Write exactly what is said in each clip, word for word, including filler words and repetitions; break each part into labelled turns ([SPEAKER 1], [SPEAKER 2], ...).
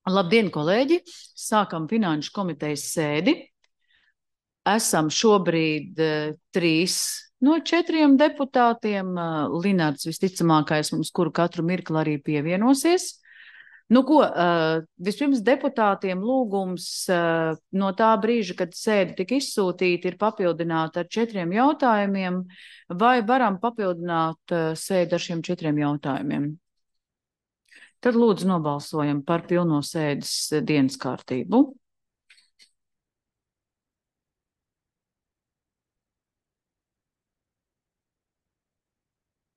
[SPEAKER 1] Labdien, kolēģi! Sākam finanšu komitejas sēdi. Esam šobrīd uh, trīs no četriem deputātiem. Uh, Linards visticamākais mums, kuru katru mirkli arī pievienosies. Nu ko, uh, vispirms deputātiem lūgums uh, no tā brīža, kad sēde tika izsūtīta, ir papildināta ar četriem jautājumiem, vai varam papildināt uh, sēdi ar šiem četriem jautājumiem? Tad lūdzu nobalsojam par pilno sēdes dienas kārtību.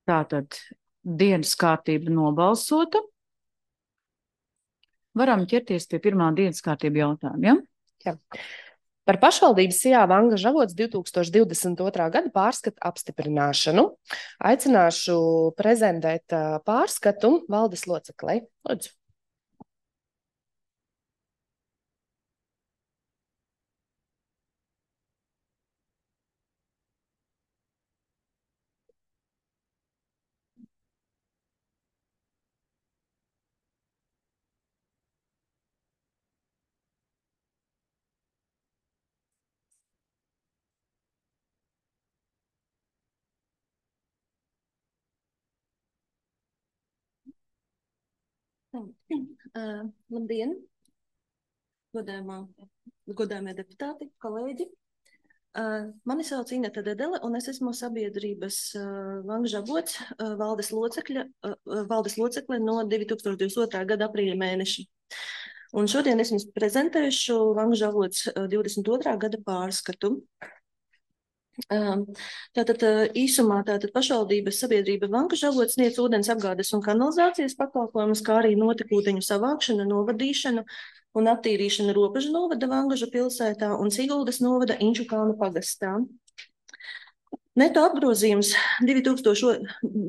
[SPEAKER 1] Tātad dienas kārtība nobalsota. Varam ķerties pie pirmā dienas kārtība jautājuma, ja?
[SPEAKER 2] Jā. Par pašvaldības Sijā Vangaža avots divi tūkstoši divdesmit otrā gada pārskatu apstiprināšanu. Aicināšu prezentēt pārskatu valdes loceklei. Lūdzu.
[SPEAKER 3] Uh, labdien, godājumā, godājumie deputāti, kolēģi. Uh, mani sauc Ineta Dedele, un es esmu sabiedrības uh, Vangaža avots uh, valdes locekļa, uh, valdes locekle no divi tūkstoši divdesmit otrā gada aprīļa mēneša. Un šodien es jums prezentēšu Vangaža avots uh, divdesmit otrā gada pārskatu. Tātad īsumā tātad pašvaldības sabiedrība Vangaža avots sniedz ūdens apgādes un kanalizācijas pakalpojumus, kā arī notekūdeņu savākšanu, novadīšanu un attīrīšanu Robežu novada Vangaža pilsētā un Siguldas novada Inčukalna pagastā. Neto apgrozījums divi tūkstoši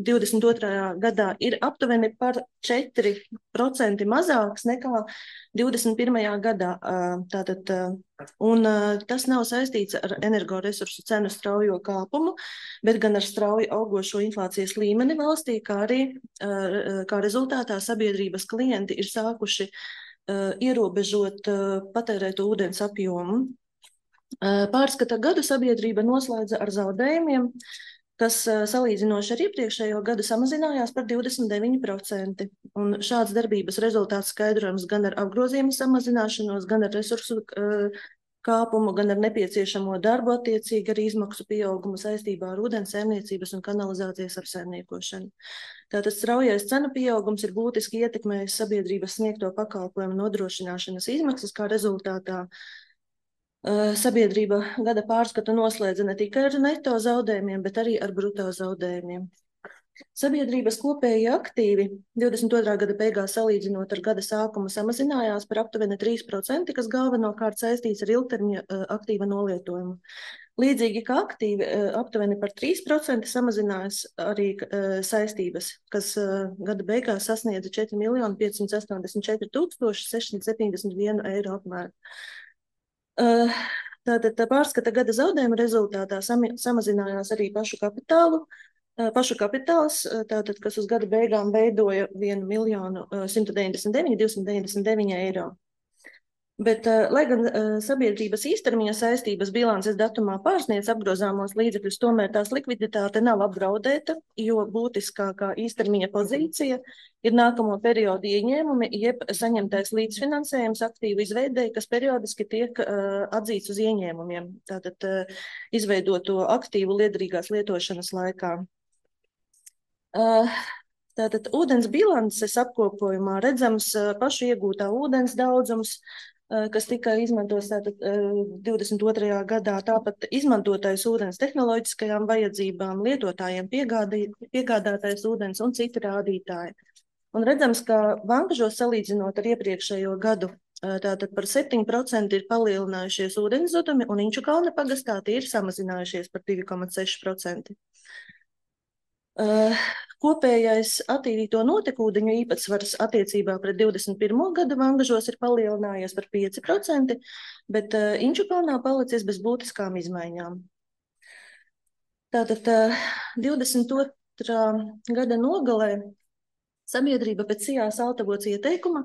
[SPEAKER 3] divdesmit otrā gadā ir aptuveni par četri procenti mazāks nekā divdesmit pirmajā gadā. Tātad, un tas nav saistīts ar energoresursu cenu straujo kāpumu, bet gan ar strauju augošo inflācijas līmeni valstī, kā arī kā rezultātā sabiedrības klienti ir sākuši ierobežot patērēto ūdens apjomu. Pārskata gadu sabiedrība noslēdza ar zaudējumiem, kas salīdzinoši ar iepriekšējo gadu samazinājās par divdesmit deviņi procenti. Un šāds darbības rezultāts skaidrojams gan ar apgrozījumu samazināšanos, gan ar resursu kāpumu, gan ar nepieciešamo darbu attiecīgi ar izmaksu pieaugumu saistībā ar ūdens saimniecības un kanalizācijas apsaimniekošanu. Tātad straujais cenu pieaugums ir būtiski ietekmējis sabiedrības sniegto pakalpojumu nodrošināšanas izmaksas, kā rezultātā sabiedrība gada pārskatu noslēdza ne tikai ar neto zaudējumiem, bet arī ar bruto zaudējumiem. Sabiedrības kopēji aktīvi divdesmit otrā gada beigās salīdzinot ar gada sākumu samazinājās par aptuveni trīs procenti, kas galvenokārt saistīts ar ilgtermiņa aktīva nolietojumu. Līdzīgi kā aktīvi aptuveni par trīs procenti samazinājās arī saistības, kas gada beigās sasniedza četri miljoni piecsimt astoņdesmit četri tūkstoši sešsimt septiņdesmit vienu eiro apmēru. Tātad pārskata gada zaudējuma rezultātā samazinājās arī pašu kapitālu, pašu kapitāls, tātad, kas uz gada beigām veidoja vienu miljonu simtu deviņdesmit deviņi tūkstoši divsimt deviņdesmit deviņi eiro. Bet, lai gan sabiedrības īstermiņa saistības bilances datumā pārsniedz apgrozāmos līdzekļus, tomēr tās likviditāte nav apdraudēta, jo būtiskākā īstermiņa pozīcija ir nākamo periodu ieņēmumi, jeb saņemtais līdzfinansējums aktīvu izveidēji, kas periodiski tiek uh, atzīts uz ieņēmumiem, tātad uh, izveidoto aktīvu liederīgās lietošanas laikā. Uh, tātad ūdens bilances apkopojumā redzams uh, pašu iegūtā ūdens daudzums, kas tika izmantots tātad divdesmit otrajā gadā, tāpat izmantotais ūdens tehnoloģiskajām vajadzībām, lietotājiem piegādātais ūdens un citi rādītāji. Un redzams, ka Vangažos salīdzinot ar iepriekšējo gadu, tātad par septiņi procenti ir palielinājušies ūdens zudumi, un Inčukalna pagastā tie ir samazinājušies par divi komats seši procenti. Uh, kopējais attīrīto notekūdeņu īpatsvars attiecībā pret divdesmit pirmo gadu Vangažos ir palielinājies par pieci procenti, bet uh, Inčukalnā palicis bez būtiskām izmaiņām. Tātad uh, divdesmit otrā gada nogalē Sabiedrība pēc C I A Saltavots ieteikuma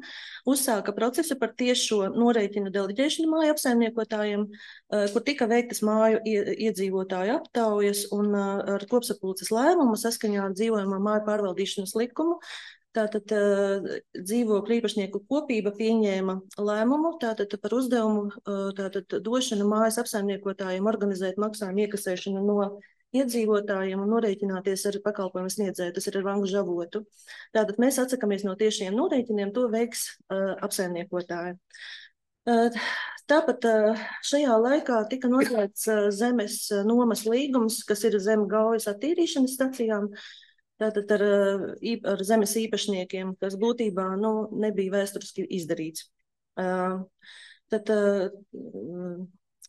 [SPEAKER 3] uzsāka procesu par tiešo norēķinu deleģēšanu māju apsaimniekotājiem, kur tika veiktas māju iedzīvotāju aptaujas un ar kopsapulces lēmumu saskaņā ar dzīvojamo māju pārvaldīšanas likumu. Tātad dzīvokļu īpašnieku kopība pieņēma lēmumu tātad par uzdevumu tātad došanu mājas apsaimniekotājiem organizēt maksājumu iekasēšanu no iedzīvotājiem un norēķināties ar pakalpojumu sniedzēju, tas ir ar Vangu žavotu. Tātad mēs atsakamies no tiešiem norēķiniem, to veiks uh, apsaimniekotāji. Uh, tāpat uh, šajā laikā tika noslēgts uh, zemes uh, nomas līgums, kas ir zem Gaujas attīrīšanas stacijām, tātad ar, uh, ar zemes īpašniekiem, kas būtībā nu, nebija vēsturiski izdarīts. Uh, tad uh,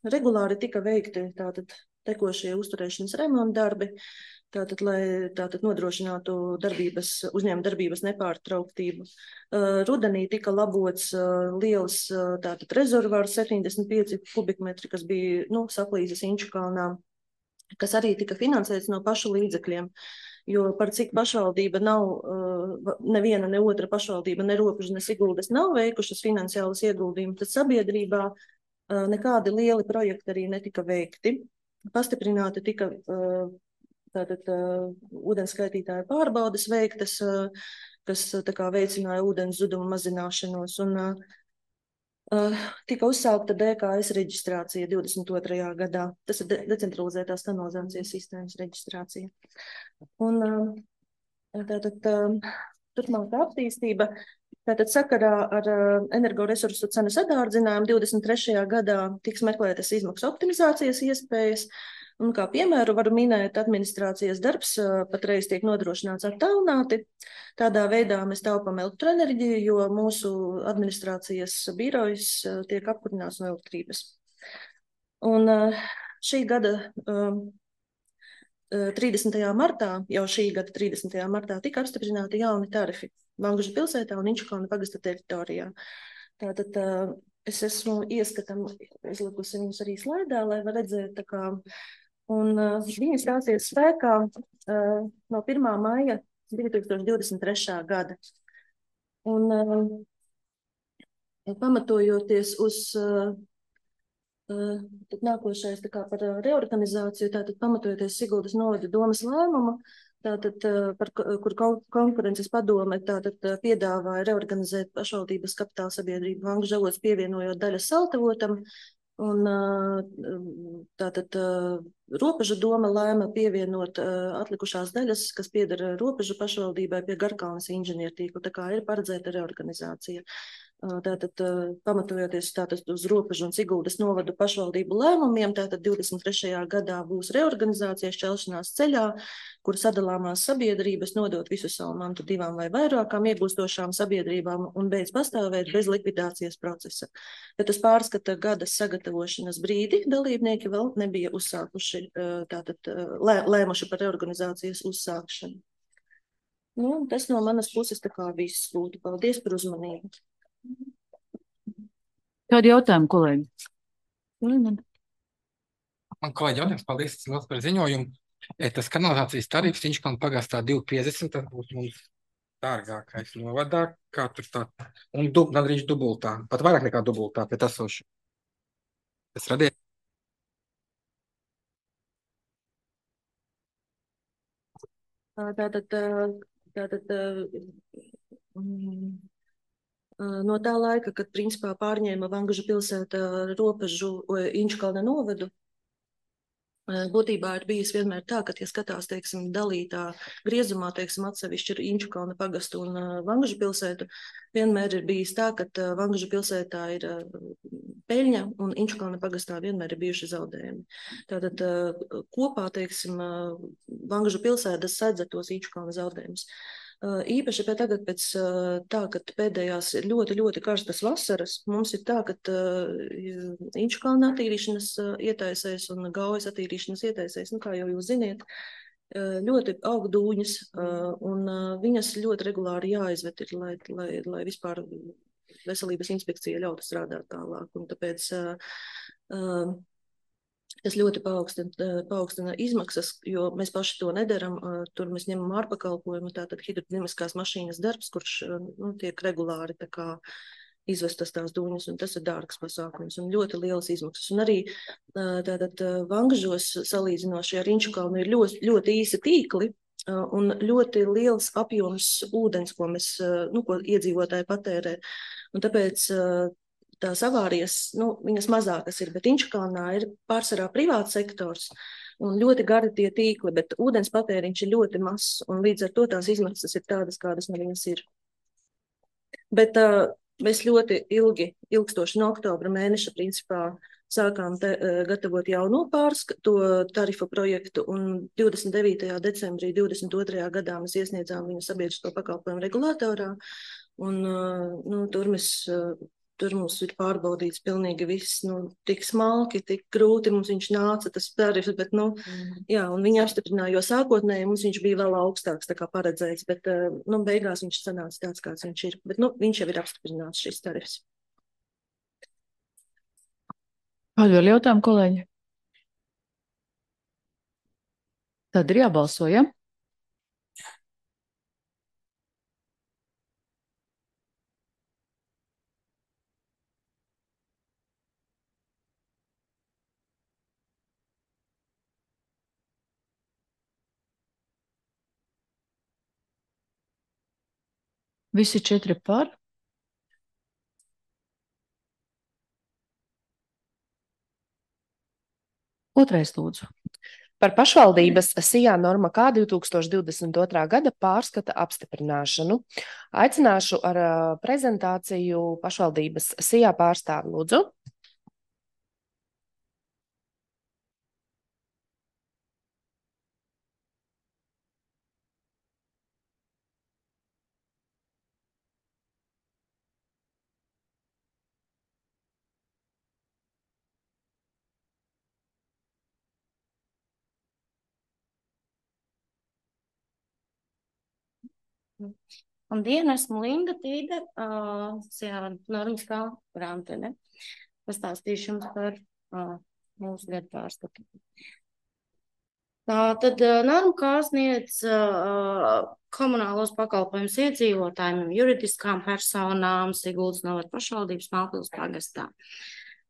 [SPEAKER 3] regulāri tika veikti tātad tekošie uzturēšanas remonta darbi, tātad, lai tātad nodrošinātu darbības, uzņēmuma darbības nepārtrauktību. Uh, rudenī tika labots uh, liels uh, tātad rezervārs septiņdesmit pieci kubikmetri, kas bija nu, saplīzes Inčukalnā, kas arī tika finansēts no pašu līdzekļiem. Jo par cik pašvaldība nav, uh, neviena, ne otra pašvaldība, ne Robeža, ne Siguldas nav veikušas finansiālas ieguldījumus, tad sabiedrībā uh, nekādi lieli projekti arī netika veikti. Pastiprināti tika tātad ūdenskaitītāju pārbaudes veiktas, kas tā kā veicināja ūdens zudumu mazināšanos, un uh, tika uzsākta D K S reģistrācija divdesmit otrajā gadā. Tas ir de decentralizētās kanalizācijas sistēmas reģistrācija. Un uh, tātad uh, turpmākā attīstība. Tātad sakarā ar uh, energoresursu cenu sadārdzinājumu divdesmit trešajā gadā tiks meklētas izmaksu optimizācijas iespējas, un kā piemēru varu minēt, administrācijas darbs uh, patreiz tiek nodrošināts attālināti. Tādā veidā mēs taupam elektroenerģiju, jo mūsu administrācijas birojas uh, tiek apkurināts no elektrības. Un uh, šī gada uh, trīsdesmitajā martā, jau šī gada trīsdesmitajā martā tika apstiprināti jauni tarifi Vangužu pilsētā un Inčukalna pagasta teritorijā. Tātad uh, es esmu ieskatam izlikusi viņus arī slaidā, lai var redzēt, tā kā, un uh, viņi stāsies spēkā uh, no pirmā maija divi tūkstoši divdesmit trešā gada. Un uh, pamatojoties uz uh, uh, tad nākošais tā kā par reorganizāciju, tātad pamatojoties Siguldas novada domas lēmumu, tātad, par, kur konkurences padome tātad piedāvāja reorganizēt pašvaldības kapitāla sabiedrību Vangu žavots, pievienojot daļas Saltavotam, un tātad Robeža doma lēma pievienot atlikušās daļas, kas pieder Robežu pašvaldībai pie Garkalnes inženiertīkla, tā kā ir paredzēta reorganizācija. Tātad, pamatojoties tātad uz Robežu un Siguldas novadu pašvaldību lēmumiem, tātad divdesmit trešajā gadā būs reorganizācija šķelšanās ceļā, kur sadalāmās sabiedrības nodot visu savu mantu divām vai vairākām iegūstošām sabiedrībām un beidz pastāvēt bez likvidācijas procesa. Bet uz pārskata gada sagatavošanas brīdi dalībnieki vēl nebija uzsākuši, tātad lē, lēmuši par reorganizācijas uzsākšanu. Nu, tas no manas puses tā kā viss būtu. Paldies par uzmanību.
[SPEAKER 1] Kādi jautājumi, kolēģi?
[SPEAKER 4] Man kolēģi jautājums, paldies liels par ziņojumu. Tas kanalizācijas tarifs Inčukalna pagastā divi piecdesmit, tas būs mums dārgākais novadā, kā tur tā, un dub, gandrīz dubultā, pat vairāk nekā dubultā pēc esošu. Tas radīja.
[SPEAKER 3] Tātad, tātad, um, no tā laika, kad principā pārņēma Vangužu pilsēta Robežu Inčukalna novadu, būtībā ir bijis vienmēr tā, ka, ja skatās, teiksim, dalītā griezumā, teiksim, atsevišķi ir Inčukalna pagastu un Vangužu pilsētu, vienmēr ir bijis tā, ka Vangužu pilsētā ir peļņa un Inčukalna pagastā vienmēr ir bijuši zaudējumi. Tātad kopā, teiksim, Vangužu pilsētas sadz tos Inčukalna zaudējumus. Īpaši pēc tagad pēc tā, ka pēdējās ir ļoti, ļoti karstas vasaras, mums ir tā, ka Inčukalna attīrīšanas ietaisēs un Gaujas attīrīšanas ietaisēs, nu kā jau jūs ziniet, ļoti aug dūņas un viņas ļoti regulāri jāizvet ir, lai, lai, lai vispār veselības inspekcija ļautu strādāt tālāk. Un tāpēc uh, Tas ļoti paaugstina, paaugstina izmaksas, jo mēs paši to nedaram. Tur mēs ņemam ārpakalpojumu, tātad hidrodinamiskās mašīnas darbs, kurš nu, tiek regulāri tā kā izvestas tās dūņas, un tas ir dārgs pasākums un ļoti lielas izmaksas. Un arī tātad Vangažos salīdzinoši ar Inčukalnu ir ļoti, ļoti īsi tīkli un ļoti liels apjoms ūdens, ko mēs, nu, ko iedzīvotāji patērē. Un tāpēc tās avārijas, nu, viņas mazākas ir, bet Inčukalnā ir pārsvarā privāts sektors un ļoti gari tie tīkli, bet ūdens patēriņš ir ļoti mazs, un līdz ar to tās izmaksas ir tādas, kādas no viņas ir. Bet uh, mēs ļoti ilgi, ilgstoši no oktobra mēneša principā sākām te, uh, gatavot jauno pārskatu tarifu projektu, un divdesmit devītajā decembrī divdesmit otrajā gadā mēs iesniedzām viņu sabiedrisko pakalpojumu regulātorā, un uh, nu, tur mēs... Uh, Tur mums ir pārbaudīts pilnīgi viss, nu, tik smalki, tik grūti mums viņš nāca, tas tarifs, bet, nu, mm. jā, un viņi apstiprināja, jo sākotnēji mums viņš bija vēl augstāks, tā kā paredzēts, bet, nu, beigās viņš sanāca tāds, kāds viņš ir, bet, nu, viņš jau ir apstiprināts šis tarifs.
[SPEAKER 1] Kādu vēl jautājumu, kolēģi? Tad ir jābalso, ja? Visi četri par. Otrais lūdzu.
[SPEAKER 2] Par pašvaldības SIA norma K divi tūkstoši divdesmit otrā gada pārskata apstiprināšanu. Aicināšu ar prezentāciju pašvaldības SIA pārstāvi, lūdzu.
[SPEAKER 5] Labdien, esmu Linda Tīde, uh, SIA normas kā grāmatvedē. Pastāstīšu jums par uh, mūsu gadu pārskatu. Tā tad uh, norma kā sniedz uh, komunālos pakalpojumus iedzīvotājiem, juridiskām personām, Siguldas novada pašvaldības Mālpils pagastā.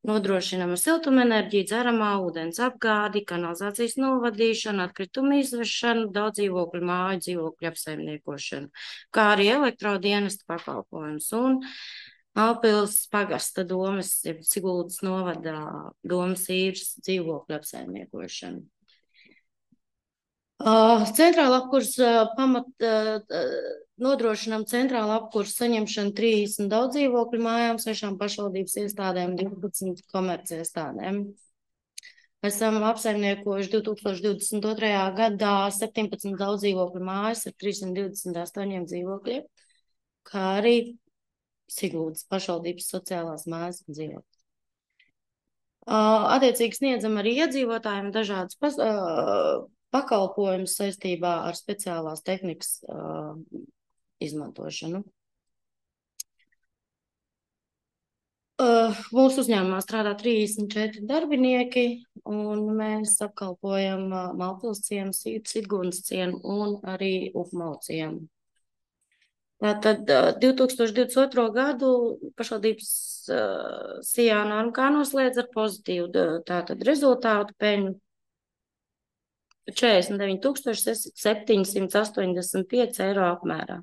[SPEAKER 5] Nodrošinama siltumenerģija, dzeramā ūdens apgādi, kanalizācijas novadīšanu, atkritumu izvešanu, daudz dzīvokļu māju, dzīvokļu apsaimniekošanu, kā arī elektrodienestu pakalpojums un Mālpils pagasta domas, Siguldas novada domas īres dzīvokļu apsaimniekošanu. Uh, centrāla apkurs uh, pamat uh, nodrošinām centrāla apkurs saņemšanu trīsdesmit daudz dzīvokļu mājām, sešām pašvaldības iestādēm, divpadsmit komerci iestādēm. Esam apsaimniekojuši divi tūkstoši divdesmit otrajā gadā septiņpadsmit daudz dzīvokļu mājas ar trīssimt divdesmit astoņiem dzīvokļiem, kā arī Siguldas pašvaldības sociālās mājas dzīvokļi. Uh, attiecīgi sniedzam arī iedzīvotājiem dažādas pas, uh, pakalpojumus saistībā ar speciālās tehnikas uh, izmantošanu. Uh, mūsu uzņēmumā strādā trīsdesmit četri darbinieki, un mēs apkalpojam uh, Mālpils ciemu, Siguldas ciemu un arī Upmalu ciemu. Tātad uh, divi tūkstoši divdesmit otro gadu pašvaldības uh, SIA norma kā noslēdz ar pozitīvu tātad rezultātu peļņu četrdesmit deviņi tūkstoši septiņsimt astoņdesmit pieci eiro apmērā.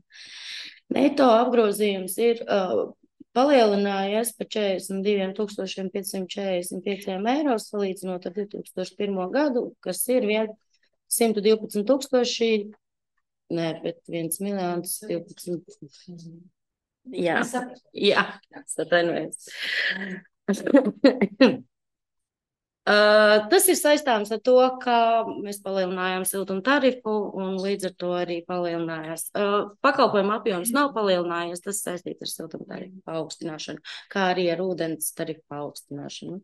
[SPEAKER 5] Neto apgrozījums ir uh, palielinājies par četrdesmit diviem tūkstošiem piecsimt četrdesmit pieciem eiro, salīdzinot ar divi tūkstoši pirmo gadu, kas ir simt divpadsmit tūkstoši, ne, bet viens miljons divpadsmit. Jā, jā, satvainojos. Uh, tas ir saistāms ar to, ka mēs palielinājām siltuma tarifu un līdz ar to arī palielinājās. Uh, pakalpojuma apjoms nav palielinājies, tas saistīts ar siltuma tarifu paaugstināšanu, kā arī ar ūdens tarifu paaugstināšanu.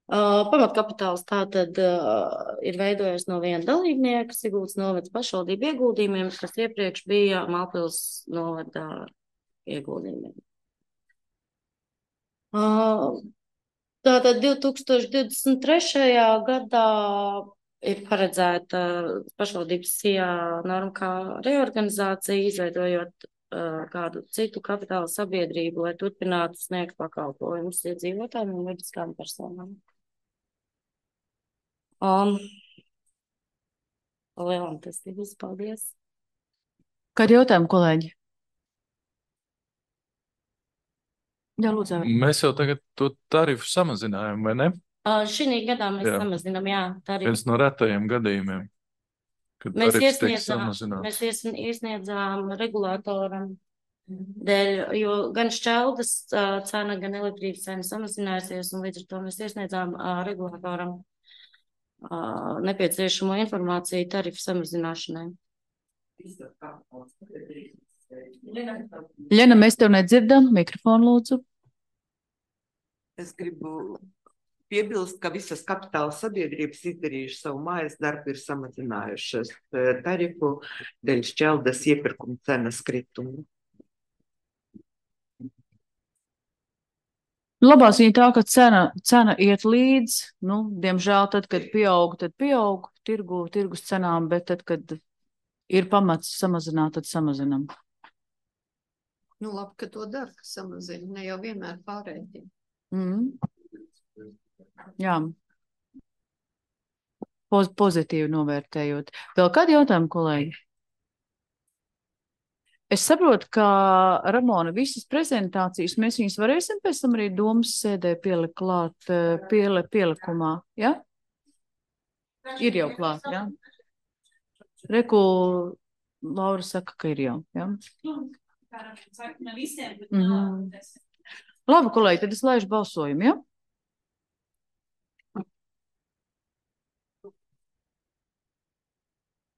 [SPEAKER 5] Uh, pamatkapitāls tātad uh, ir veidojies no viena dalībnieka, Siguldas novadas pašvaldību ieguldījumiem, kas iepriekš bija Mālpils novada ieguldījumiem. Uh, Tātad divi tūkstoši divdesmit trešajā gadā ir paredzēta pašvaldības S I A norma kā reorganizācija, izveidojot uh, kādu citu kapitāla sabiedrību, lai turpinātu sniegt pakalpojumus iedzīvotājiem un juridiskām personām. Um, Lielam tas ir viss. Paldies.
[SPEAKER 1] Kādi jautājumi, kolēģi? Jā, lūdzu.
[SPEAKER 6] Mēs jau tagad to tarifu samazinājām, vai ne?
[SPEAKER 5] Uh, šī gadā mēs
[SPEAKER 6] Jā.
[SPEAKER 5] samazinām, jā, tarifu.
[SPEAKER 6] Viens no retajiem gadījumiem, kad
[SPEAKER 5] Mēs
[SPEAKER 6] tarifs tiek
[SPEAKER 5] iesniedzām,
[SPEAKER 6] samazināts.
[SPEAKER 5] mēs ies- iesniedzām regulātoram dēļ, jo gan šķeldas uh, cena, gan elektrības cena samazinājusies, un līdz ar to mēs iesniedzām uh, regulātoram uh, nepieciešamo informāciju tarifu samazināšanai.
[SPEAKER 1] Ļena, mēs tev nedzirdam. Mikrofonu lūdzu.
[SPEAKER 7] Es gribu piebilst, ka visas kapitāla sabiedrības izdarījuši savu mājas darbu, ir samazinājušas eh, tarifu dēļ šķeldas iepirkuma cenas kritumu.
[SPEAKER 1] Labā ziņa tā, ka cena, cena iet līdz, nu, diemžēl tad, kad pieaug, tad pieaug tirgu, tirgus cenām, bet tad, kad ir pamats samazināt, tad samazinam.
[SPEAKER 8] Nu, labi, ka to dara, ka samazina, ne jau vienmēr pārējiem.
[SPEAKER 1] Mm. Jā. Poz, pozitīvi novērtējot. Vēl kādi jautājumi, kolēģi? Es saprotu, ka Ramona visas prezentācijas mēs viņas varēsim pēc tam arī domas sēdē pielikt klāt piele, pielikumā, ja? Ir jau klāt, ja? Reku Laura saka, ka ir jau, ja? Mm-hmm. Labi, kolēģi, tad es laižu balsojumu, ja?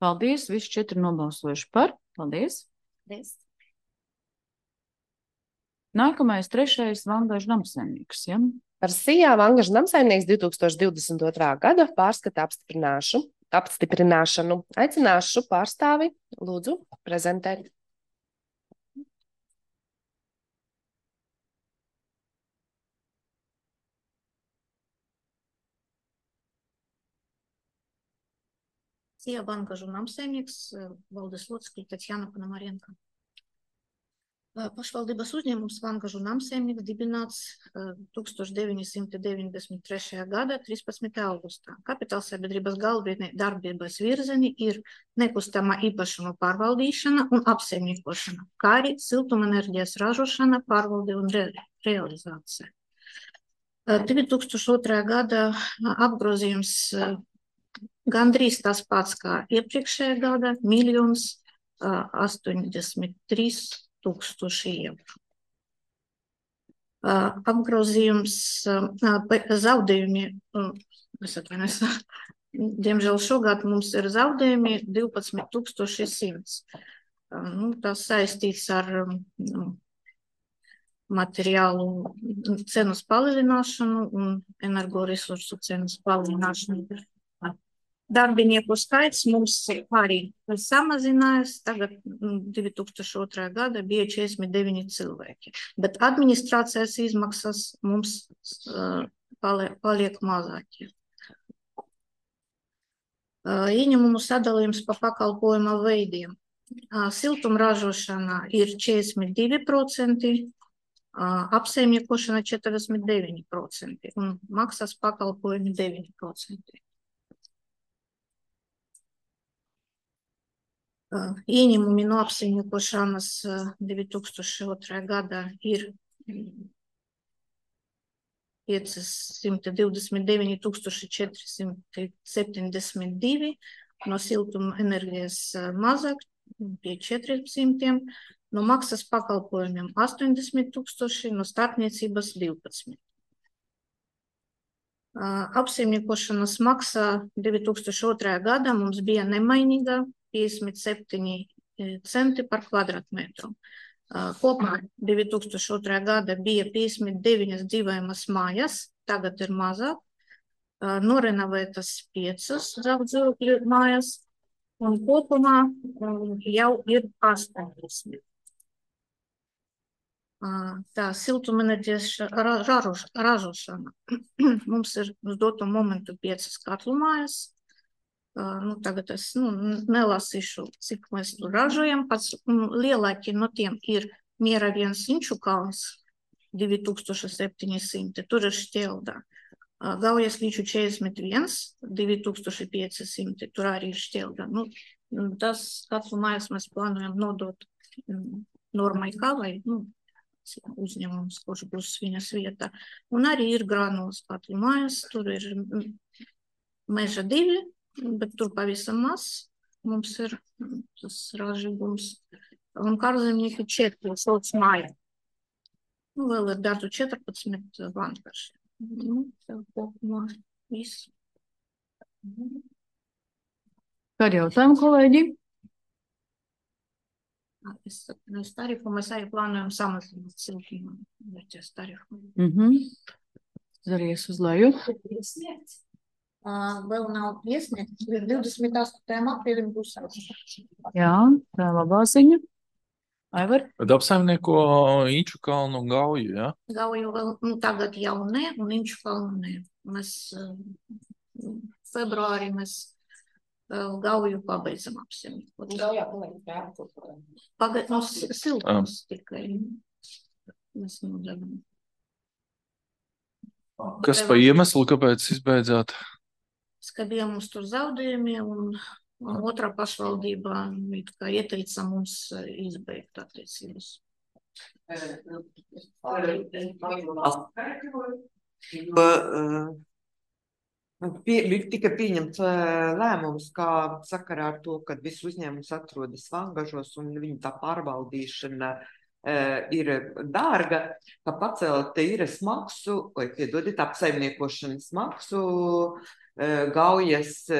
[SPEAKER 1] Paldies, visi četri nobalsojuši par. Paldies.
[SPEAKER 5] Paldies.
[SPEAKER 1] Nākamais, trešais, Vangažu namsaimnieks, ja?
[SPEAKER 2] Par S I A Vangažu namsaimnieks divi tūkstoši divdesmit otrā gada pārskata apstiprināšu, apstiprināšanu. Aicināšu pārstāvi, lūdzu, prezentēt.
[SPEAKER 8] S I A Vangažu namsaimnieks valdes locekļi Tatjana Panamarenko. Pašvaldības uzņēmums Vangažu namsaimnieks dibināts tūkstoš deviņi simti deviņdesmit trešajā gada trīspadsmitajā augustā. Kapitālsabiedrības galvenie darbības virzieni ir nekustamā īpašuma pārvaldīšana un apsaimniekošana, kā arī siltumenerģijas ražošana, pārvalde un re realizācija. divi tūkstoši otrā gada apgrozījums gandrīz tas pats kā iepriekšējā gada - miljons astoņdesmit trīs tūkstoši eiro. Apgrozījums zaudējumi, es atvainojos, diemžēl šogad mums ir zaudējumi divpadsmit tūkstoši simts. Nu, tas saistīts ar nu, materiālu cenas palielināšanu un energoresursu cenas palielināšanu. Darbinieku skaits mums arī samazinājās. Tagad divi tūkstoši otrā gada bija četrdesmit deviņi cilvēki, bet administrācijas izmaksas mums uh, paliek, paliek mazākie. Uh, ieņemumu sadalījums pa pakalpojuma veidiem. Uh, siltumražošana ir četrdesmit divi procenti, uh, apsaimniekošana četrdesmit deviņi procenti un maksas pakalpojumi deviņi procenti. Ieņemumi no apsaimniekošanas divi tūkstoši otrā gada ir piecsimt divdesmit deviņi tūkstoši četri simti septiņdesmit divi, no siltuma enerģijas mazāk pie četriem simtiem, no maksas pakalpojumiem astoņdesmit tūkstoši, no starpniecības divpadsmit. Apsaimniekošanas maksa divi tūkstoši otrā gada mums bija nemainīga piecdesmit septiņi centi par kvadrātmetru. Kopumā divi tūkstoši otrā gada bija piecdesmit deviņas dzīvojamas mājas, tagad ir mazāk, norenovētas piecas dzīvokļu mājas, un kopumā jau ir astoņdesmit. Tā siltumenerģijas ra- ražoš- ražošana. Mums ir uz doto momentu piecas katlu mājas. Uh, Nu, tagad es nu, nelasīšu, cik mēs tur ražojam. Pats nu, lielākie no tiem ir Miera viens Inču kalns, divi tūkstoši septiņi simti, tur ir šķelda. Uh, Gaujas līču četrdesmit viens, divi tūkstoši pieci simti, tur arī ir šķelda. Nu, tas katlu mājas mēs plānojam nodot mm, Normai Kavai, nu, uzņēmums, kurš būs viņas vieta. Un arī ir Granulas katlu mājas, tur ir mm, Meža divi, bet tur pavisam maz. Mums ir mm, tas ražīgums. Un Kārzemnieki četri, sauc māja. Nu, vēl ir Dardu četrpadsmit vankarši. Nu, tā kopumā viss.
[SPEAKER 1] Kādi jautājumi, kolēģi?
[SPEAKER 8] Es, es tarifu mēs arī plānojam samazināt siltumenerģijas tarifu.
[SPEAKER 1] Mhm. Zaries uz leju.
[SPEAKER 8] Uh, vēl nav iesniegts, divdesmit astotajam aprīlim būs saraksts.
[SPEAKER 1] Jā, tā labā ziņa. Aivar?
[SPEAKER 6] Bet apsaimnieko Inču kalnu un Gauju, jā?
[SPEAKER 8] Gauju vēl, nu, tagad jau ne, un Inču kalnu ne. Mēs uh, februārī mēs uh, Gauju pabeidzam apsaimniekot.
[SPEAKER 2] Gaujā paliek prātu.
[SPEAKER 8] Pagad, nu, s- siltums tikai. Mēs nodevam.
[SPEAKER 6] Kas pa iemeslu, kāpēc izbeidzāt?
[SPEAKER 8] Skabiem mums tur zaudējumi, un, un otrā pašvaldībā it kā ieteica mums eh, izbeigt attiecības.
[SPEAKER 7] Jo, uh, pie, bija tika pieņemts uh, lēmums, kā sakarā ar to, ka viss uzņēmums atrodas vangažos un viņa tā pārvaldīšana uh, ir dārga, ka pacelt īres maksu, vai piedodiet, apsaimniekošanas maksu uh, Gaujas uh,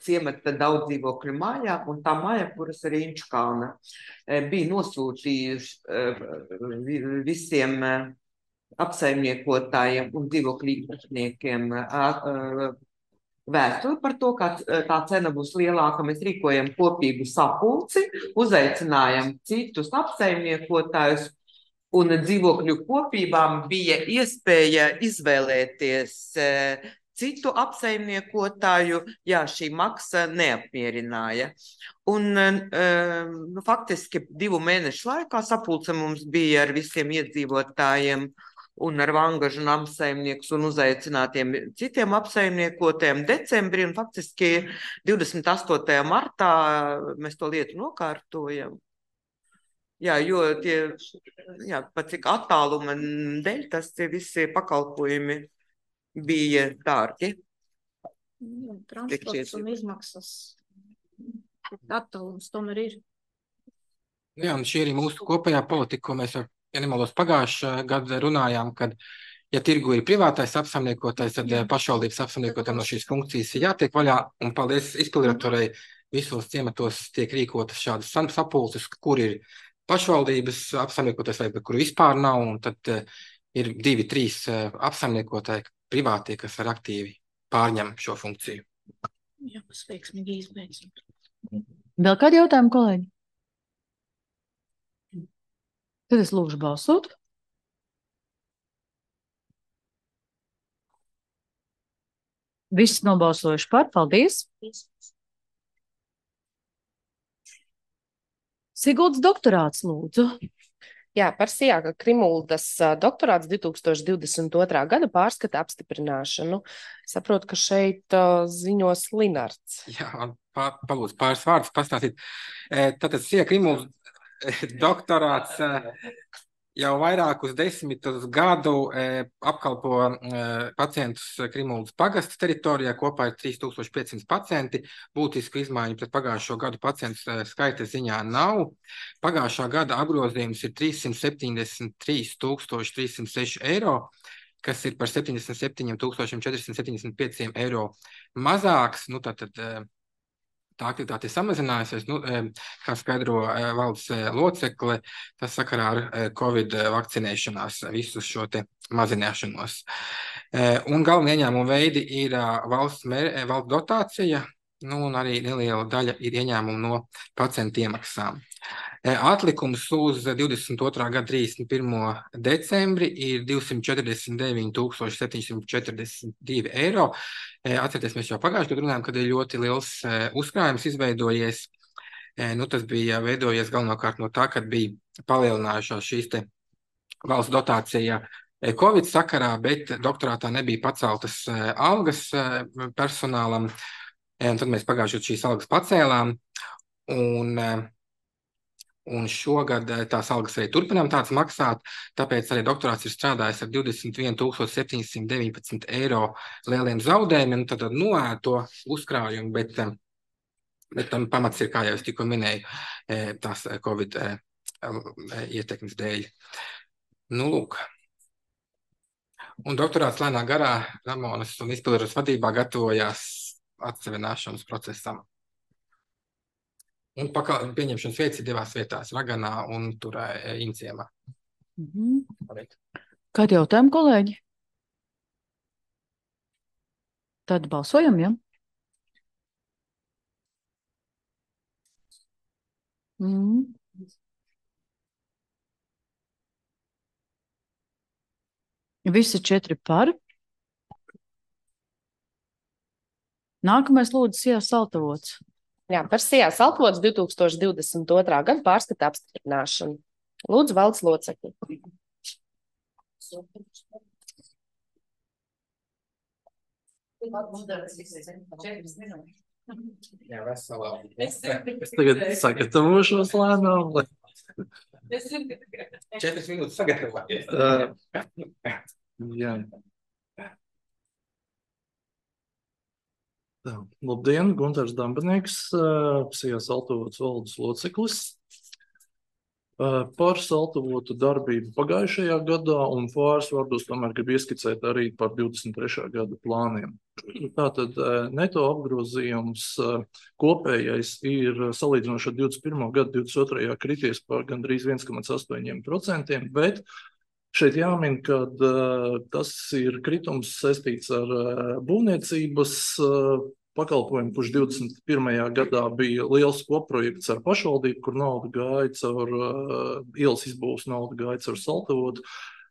[SPEAKER 7] ciemata daudz dzīvokļu mājā, un tā māja, kuras arī Inču kalna uh, bija nosūtījuši uh, vi- visiem uh, apsaimniekotājiem un dzīvokļu īpašniekiem vēstuli par to, ka tā cena būs lielāka. Mēs rīkojam kopīgu sapulci, uzaicinājam citus apsaimniekotājus, un dzīvokļu kopībām bija iespēja izvēlēties citu apsaimniekotāju, ja šī maksa neapmierināja. Un nu, faktiski divu mēnešu laikā sapulce mums bija ar visiem iedzīvotājiem un ar vangažu un apsaimniekus un uzaicinātiem citiem apsaimniekotiem decembrī, un faktiski divdesmit astotajā martā mēs to lietu nokārtojam. Jā, jo tie, jā, pat cik attāluma dēļ, tas tie visi pakalpojumi bija dārgi.
[SPEAKER 8] Jā, transports un izmaksas. Attālums tomēr ir.
[SPEAKER 4] Jā, un šī arī mūsu kopējā politika, ko mēs ar ja nemaldos pagājušā gada runājām, kad, ja tirgu ir privātais apsaimniekotājs, tad pašvaldības apsaimniekotājiem no šīs funkcijas ir jātiek vaļā, un paldies izpildirektorai, visos ciematos tiek rīkotas šādas sam- sapulces, kur ir pašvaldības apsaimniekotājs vai kur vispār nav, un tad uh, ir divi, trīs uh, apsaimniekotāji privātie, kas ar aktīvi pārņem šo funkciju.
[SPEAKER 8] Jā, mēs veiksmīgi izbeidzam.
[SPEAKER 1] Vēl kādi jautājumi, kolēģi? Tad es lūgšu balsot. Visi nobalsojuši par, paldies. Siguldas doktorāts, lūdzu.
[SPEAKER 2] Jā, par Sijāka Krimuldas ā, doktorāts divi tūkstoši divdesmit otrā gada pārskata apstiprināšanu. Saprotu, ka šeit ā, ziņos Linards.
[SPEAKER 4] Jā, man pā, palūdzu pāris vārdus pastāstīt. E, Tātad Sija Krimuls doktorāts e, jau vairākus desmitus gadu e, apkalpo e, pacientus Krimuldas pagasta teritorijā, kopā ir trīs tūkstoši piecsimt pacienti. Būtisku izmaiņu pret pagājušo gadu pacientu e, skaita ziņā nav. Pagājušā gada apgrozījums ir trīssimt septiņdesmit trīs tūkstoši trīs simt seši eiro, kas ir par septiņdesmit septiņiem tūkstošiem četrsimt septiņdesmit pieciem eiro mazāks. Nu, tātad, e, tā aktivitāte ir samazinājusies, nu, e, kā skaidro e, valdes e, locekle, tas sakarā ar e, Covid vakcinēšanās visu šo te mazināšanos. E, Un galvenie ieņēmuma veidi ir ā, valsts, mēr, e, valsts dotācija, nu, un arī neliela daļa ir ieņēmumu no pacientu iemaksām. Atlikums uz divdesmit otrā gada trīsdesmit pirmo decembri ir divsimt četrdesmit deviņi tūkstoši septiņsimt četrdesmit divi eiro. Atcerieties, mēs jau pagājušajā gadā runājām, kad ir ļoti liels uzkrājums izveidojies. Nu, tas bija veidojies galvenokārt no tā, kad bija palielinājušās šīs te valsts dotācija Covid sakarā, bet doktorātā nebija paceltas algas personālam. Un tad mēs pagājušajā šīs algas pacēlām. Un Un šogad tās algas arī turpinām tāds maksāt, tāpēc arī doktorāts ir strādājis ar divdesmit vienu tūkstoši septiņsimt deviņpadsmit eiro lieliem zaudējumiem, tad noēd to uzkrājumu, bet, bet tam pamats ir, kā jau es tikko minēju, tās Covid ietekmes dēļ. Nu, lūk. Un doktorāts lēnā garā Ramonas un izpildaras vadībā gatavojās atsevināšanas procesam. Un pakal, pieņemšanas vietas ir divās vietās, Raganā un tur Inciemā.
[SPEAKER 1] Mm-hmm. Kādi jautājumi, kolēģi? Tad balsojam, ja? Mm. Visi četri par. Nākamais lūdzu Sijā Saltavots.
[SPEAKER 2] Jā, par Sijā Saltavots divtūkstoši divdesmit otrā gada pārskata apstiprināšanu. Lūdzu, valdes locekļi.
[SPEAKER 4] Jā, veselā.
[SPEAKER 6] Es tagad sagatavošos lēnām.
[SPEAKER 4] Četras minūtes sagatavoties.
[SPEAKER 6] Uh, jā. Tā, labdien, Guntars Dambanieks, Sijā Saltavots valdes loceklis. Par Saltavotu darbību pagājušajā gadā un pāris vārdos tomēr grib ieskicēt arī par divdesmit trešā gada plāniem. Tātad neto apgrozījums kopējais ir salīdzinoši ar divdesmit pirmo gadu divdesmit otrajā krities par gandrīz viens komats astoņi procenti, bet šeit jāmin, ka uh, tas ir kritums saistīts ar uh, būvniecības uh, pakalpojumu, kurš divdesmit pirmajā gadā bija liels kopprojekts ar pašvaldību, kur nauda gāja caur uh, ielas izbūves, nauda gāja caur Saltavotu.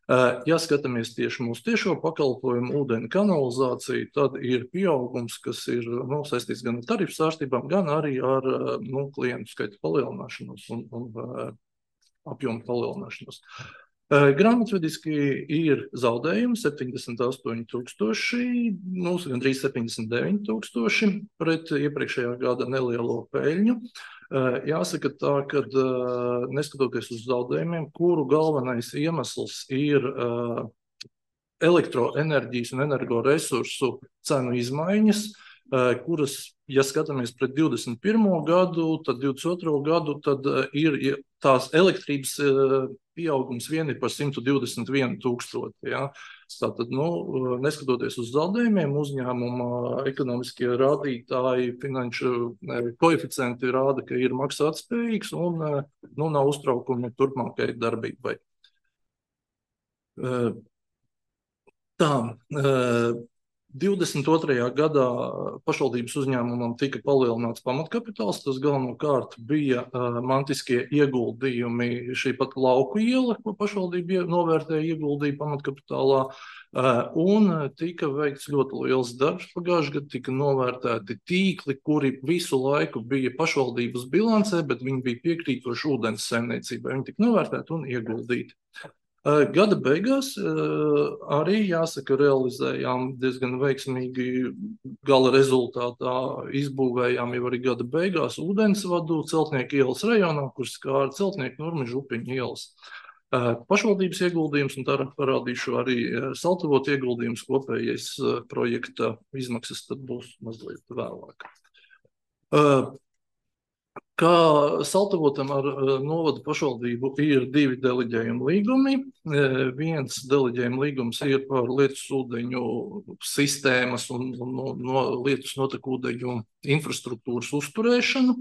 [SPEAKER 6] Uh, ja skatāmies tieši mūsu tiešo pakalpojumu, ūdeni kanalizāciju, tad ir pieaugums, kas ir nu, saistīts gan ar tarifu sārstībām, gan arī ar uh, nu, klientu skaita palielināšanos un, un uh, apjomu palielināšanos. Grāmatvediski ir zaudējumi septiņdesmit astoņi tūkstoši, nu, gandrīz septiņdesmit deviņi tūkstoši pret iepriekšējā gada nelielo peļņu. Jāsaka tā, ka neskatoties uz zaudējumiem, kuru galvenais iemesls ir elektroenerģijas un energoresursu cenu izmaiņas, kuras, ja skatāmies pret divdesmit pirmo gadu, tad divdesmit otro gadu, tad ir tās elektrības pieaugums vien ir par simt divdesmit vienu tūkstoti. Ja? Tātad, nu, neskatoties uz zaudējumiem, uzņēmuma ekonomiskie rādītāji, finanšu koeficienti rāda, ka ir maksātspējīgs un nu, nav uztraukumi turpmākai darbībai. Tā, divdesmit otrajā gadā pašvaldības uzņēmumam tika palielināts pamatkapitāls. Tas galvenokārt bija uh, mantiskie ieguldījumi, šī pat lauku iela, ko pašvaldība novērtēja ieguldīja pamatkapitālā. Uh, un tika veikts ļoti liels darbs pagājušajā gadā, tika novērtēti tīkli, kuri visu laiku bija pašvaldības bilancē, bet viņi bija piekrītoši ūdens saimniecībai. Viņi tika novērtēti un ieguldīti. Gada beigās arī, jāsaka, realizējām diezgan veiksmīgi gala rezultātā, izbūvējām jau arī gada beigās ūdensvadu Celtnieku ielas rajonā, kur skāra Celtnieku Nurmežu Upiņu ielas. Pašvaldības ieguldījums, un tā parādīšu arī Saltavotu ieguldījums, kopējais projekta izmaksas tad būs mazliet vēlāk. Kā Saltavotam ar novadu pašvaldību ir divi deleģējumi līgumi. Viens deleģējuma līgums ir par lietus ūdeņu sistēmas un, un no, no lietus notekūdeņu infrastruktūras uzturēšanu.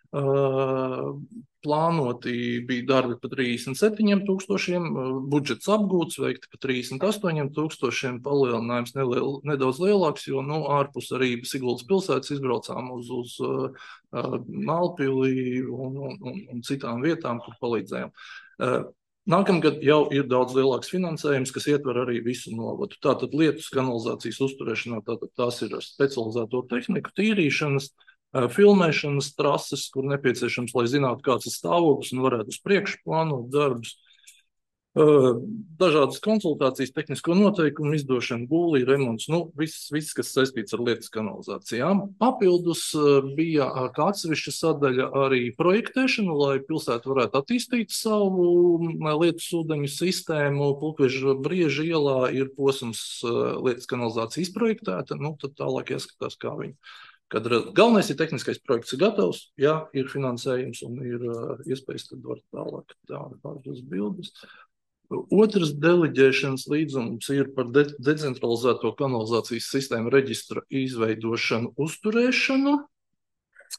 [SPEAKER 6] Uh, plānoti bija darbi par trīsdesmit septiņiem tūkstošiem, budžets apgūts, veikti par trīsdesmit astoņiem tūkstošiem, palielinājums neliel, nedaudz lielāks, jo nu, ārpus arī Siguldas pilsētas izbraucām uz, uz uh, Mālpili un, un, un, un citām vietām, kur palīdzējām. Uh, Nākamgad jau ir daudz lielāks finansējums, kas ietver arī visu novadu. Tātad lietus kanalizācijas uzturēšanā, tātad tās ir ar specializēto tehniku, tīrīšanas, filmēšanas trases, kur nepieciešams, lai zinātu, kāds ir stāvoklis un varētu uz priekšu plānot darbus. Dažādas konsultācijas, tehnisko noteikumu izdošana, būlī, remonts, nu, viss, viss, kas saistīts ar lietas kanalizācijām. Papildus bija kā atsevišķa sadaļa arī projektēšana, lai pilsēta varētu attīstīt savu lietas ūdeņu sistēmu. Pulkveža Brieža ielā ir posms lietas kanalizācija izprojektēta, nu, tad tālāk jāskatās, kā viņi. Kad galvenais ir tehniskais projekts ir gatavs, jā, ir finansējums un ir uh, iespējas, tad var tālāk tādas bildes. Otrs deleģēšanas līdzums ir par de decentralizēto kanalizācijas sistēmu reģistra izveidošanu, uzturēšanu.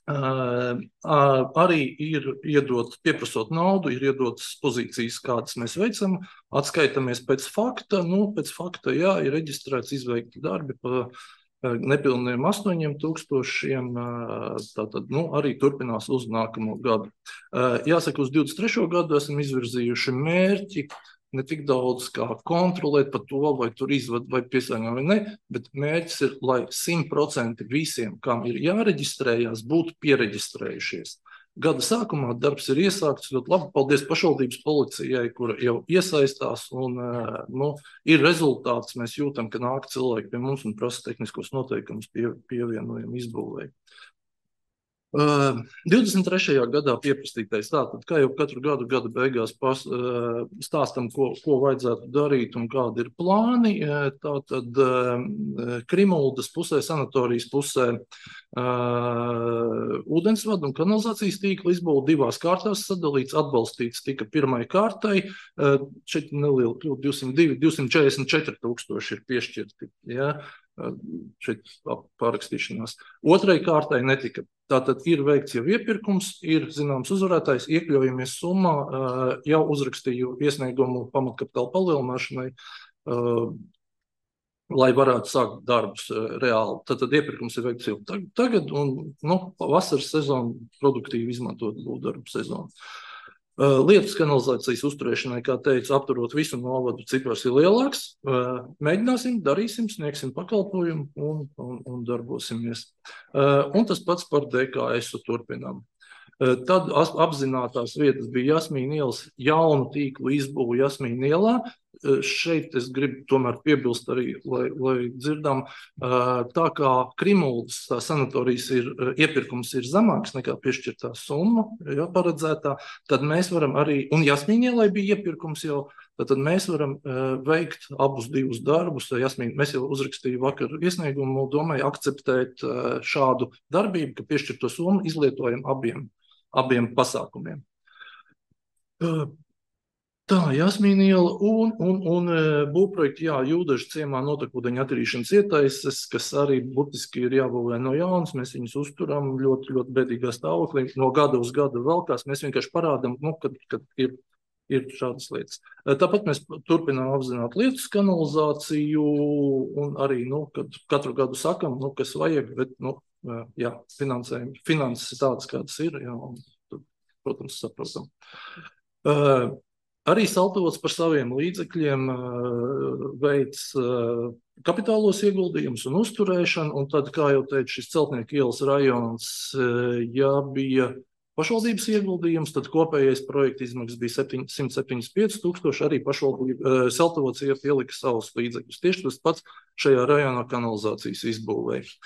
[SPEAKER 6] Uh, uh, arī ir iedot, pieprasot naudu, ir iedotas pozīcijas, kādas mēs veicam, atskaitamies pēc fakta, nu, pēc fakta, jā, ir reģistrēts izveikti darbi pa nepilniem astoņiem tūkstošiem, tātad, nu, arī turpinās uz nākamo gadu. Jāsaka, uz divdesmit trešo gadu esam izvirzījuši mērķi, ne tik daudz kā kontrolēt par to, vai tur izvad vai piesāņā vai ne, bet mērķis ir, lai simt procenti visiem, kam ir jāreģistrējās, būtu piereģistrējušies. Gada sākumā darbs ir iesākts ļoti labi. Paldies pašvaldības policijai, kura jau iesaistās un nu, ir rezultāts. Mēs jūtam, ka nāk cilvēki pie mums un prasa tehniskos noteikumus pie, pievienojam izbūvēju. Uh, divdesmit trešajā gadā pieprastītais, tātad, kā jau katru gadu, gada beigās pas, uh, stāstam, ko, ko vajadzētu darīt un kādi ir plāni. Uh, tātad uh, Krimuldas pusē, sanatorijas pusē uh, ūdensvadu un kanalizācijas tīkla izbūve divās kārtās sadalīts, atbalstīts tika pirmai kārtai, uh, šeit neliela kļūt, divsimt divi, divsimt četrdesmit četri tūkstoši ir piešķirti, ja? Šeit pārakstīšanās. Otrai kārtai netika. Tātad ir veikts jau iepirkums, ir zināms uzvarētājs, iekļaujamies summā, jau uzrakstīju iesniegumu pamatkapitāla palielināšanai, lai varētu sākt darbus reāli. Tātad iepirkums ir veikts jau tagad un nu, vasaras sezonu produktīvi izmantot būvdarbu sezonu. Lietas kanalizācijas uzturēšanai, kā teicu, apturot visu novadu, cipars ir lielāks. Mēģināsim, darīsim, sniegsim pakalpojumu un, un, un darbosimies. Un tas pats par D K S-u turpinām. Tad apzinātās vietas bija Jasmīna ielas jaunu tīklu izbūvu Jasmīna ielā. Šeit es gribu tomēr piebilst arī, lai, lai dzirdam, tā kā Krimuldas tā sanatorijas ir, iepirkums ir zemāks nekā piešķirtā summa, ja, paredzētā, tad mēs varam arī, un Jasmīna ielai bija iepirkums jau, tad mēs varam veikt abus divus darbus. Jasmīna, mēs jau uzrakstīju vakar iesniegumu, domāju akceptēt šādu darbību, ka piešķirto summu izlietojam abiem, abiem pasākumiem. Tā, Jasmīna iela un, un, un būvprojekti, jā, Jūdažu ciemā notekūdeņa attīrīšanas ietaises, kas arī burtiski ir jābūvē no jaunas, mēs viņus uzturam ļoti, ļoti bēdīgā stāvoklī, no gada uz gadu velkās, mēs vienkārši parādam, nu, kad, kad ir, ir šādas lietas. Tāpat mēs turpinām apzināt lietas kanalizāciju un arī, nu, kad katru gadu sakam, nu, kas vajag, bet, nu, jā, finansējumi, finanses ir tādas, kādas ir, jā, un, protams, saprotam. Uh, Arī Saltovots par saviem līdzekļiem veic kapitālos ieguldījumus un uzturēšanu, un tad, kā jau teicu, šis Celtnieku ielas rajons, ja bija pašvaldības ieguldījums, tad kopējais projekta izmaksas bija simt septiņdesmit pieci tūkstoši, arī pašvaldība Saltovots ielika savus līdzekļus. Tieši tas pats šajā rajonā kanalizācijas izbūvēja.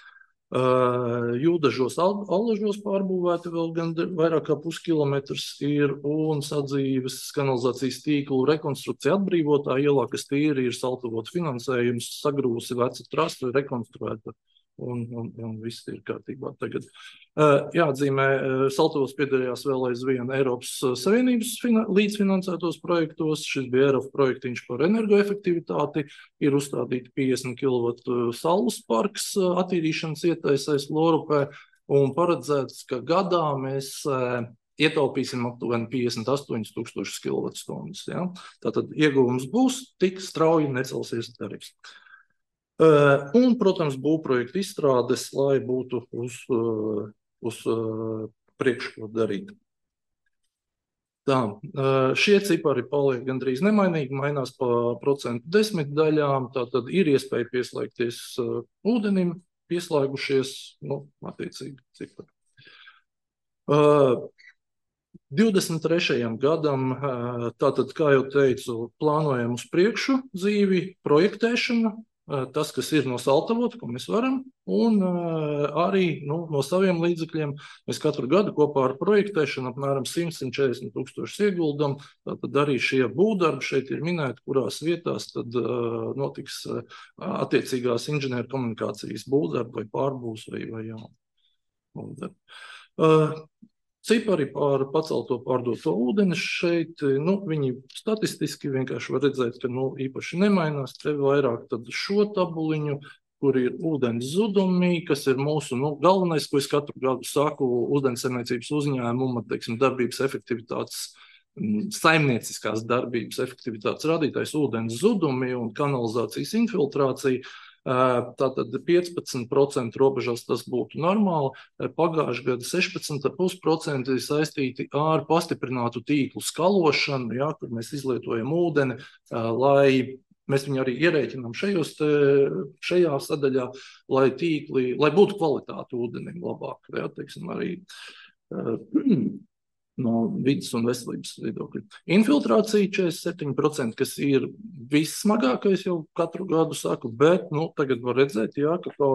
[SPEAKER 6] Uh, Jūdažos, Allažos pārbūvēti vēl gan vairāk kā puskilometrs ir un sadzīves kanalizācijas tīklu rekonstrukcija atbrīvotā ielā, kas tīri ir Saltovots finansējums, sagrūsi veca trasta, rekonstruēta un, un, un viss ir kārtībā tagad. Uh, jāatzīmē, uh, Saltovots piedalījās vēl aizvien Eiropas Savienības līdzfinansētos projektos. Šis bija Eiropas projektiņš par energoefektivitāti, ir uzstādīti piecdesmit kilovoltu saules parks attīrīšanas ietaisēs Lorupē, un paredzēts, ka gadā mēs ietaupīsim aptuveni piecdesmit astoņas tūkstošas kilovatstundas. Ja? Tātad ieguvums būs, tik strauji necelsies tarifs. Un, protams, būvprojektu izstrādes, lai būtu uz, uz priekšu ko darīt. Tā, šie cipari paliek gandrīz nemainīgi, mainās pa procentu desmitdaļām, tātad ir iespēja pieslēgties ūdenim, pieslēgušies, nu, attiecīgi cipari. divdesmit trešajam gadam, tātad, kā jau teicu, plānojam uz priekšu dzīvi, projektēšanu, tas, kas ir no saltavota, ko mēs varam, un arī nu, no saviem līdzekļiem mēs katru gadu kopā ar projektēšanu apmēram simt līdz četrdesmit tūkstošus ieguldam, tātad arī šie būvdarbi šeit ir minēti, kurās vietās tad notiks attiecīgās inženieru komunikācijas būvdarbi vai pārbūs vai, vai jauni būvdarbi. Cipari par pacelto pārdoto ūdeni šeit, nu, viņi statistiski vienkārši var redzēt, ka nu, īpaši nemainās, te vairāk tad šo tabuliņu, kur ir ūdens zudumi, kas ir mūsu nu, galvenais, ko es katru gadu saku, ūdensaimniecības uzņēmuma, teiksim, darbības efektivitātes, saimnieciskās darbības efektivitātes radītājs ūdens zudumi un kanalizācijas infiltrācija. Tātad piecpadsmit procenti robežās tas būtu normāli, pagājušajā gada sešpadsmit komats pieci procenti saistīti ar pastiprinātu tīklu skalošanu, ja, kur mēs izlietojam ūdeni, lai mēs viņu arī ierēķinām šajos te, šajā sadaļā, lai tīkli, lai būtu kvalitāte ūdenim labāk, ja, teiksim, arī no vidas un veselības viedokļa. Infiltrācija četrdesmit septiņi procenti, kas ir vissmagākais jau katru gadu saku, bet nu, tagad var redzēt, jā, ka to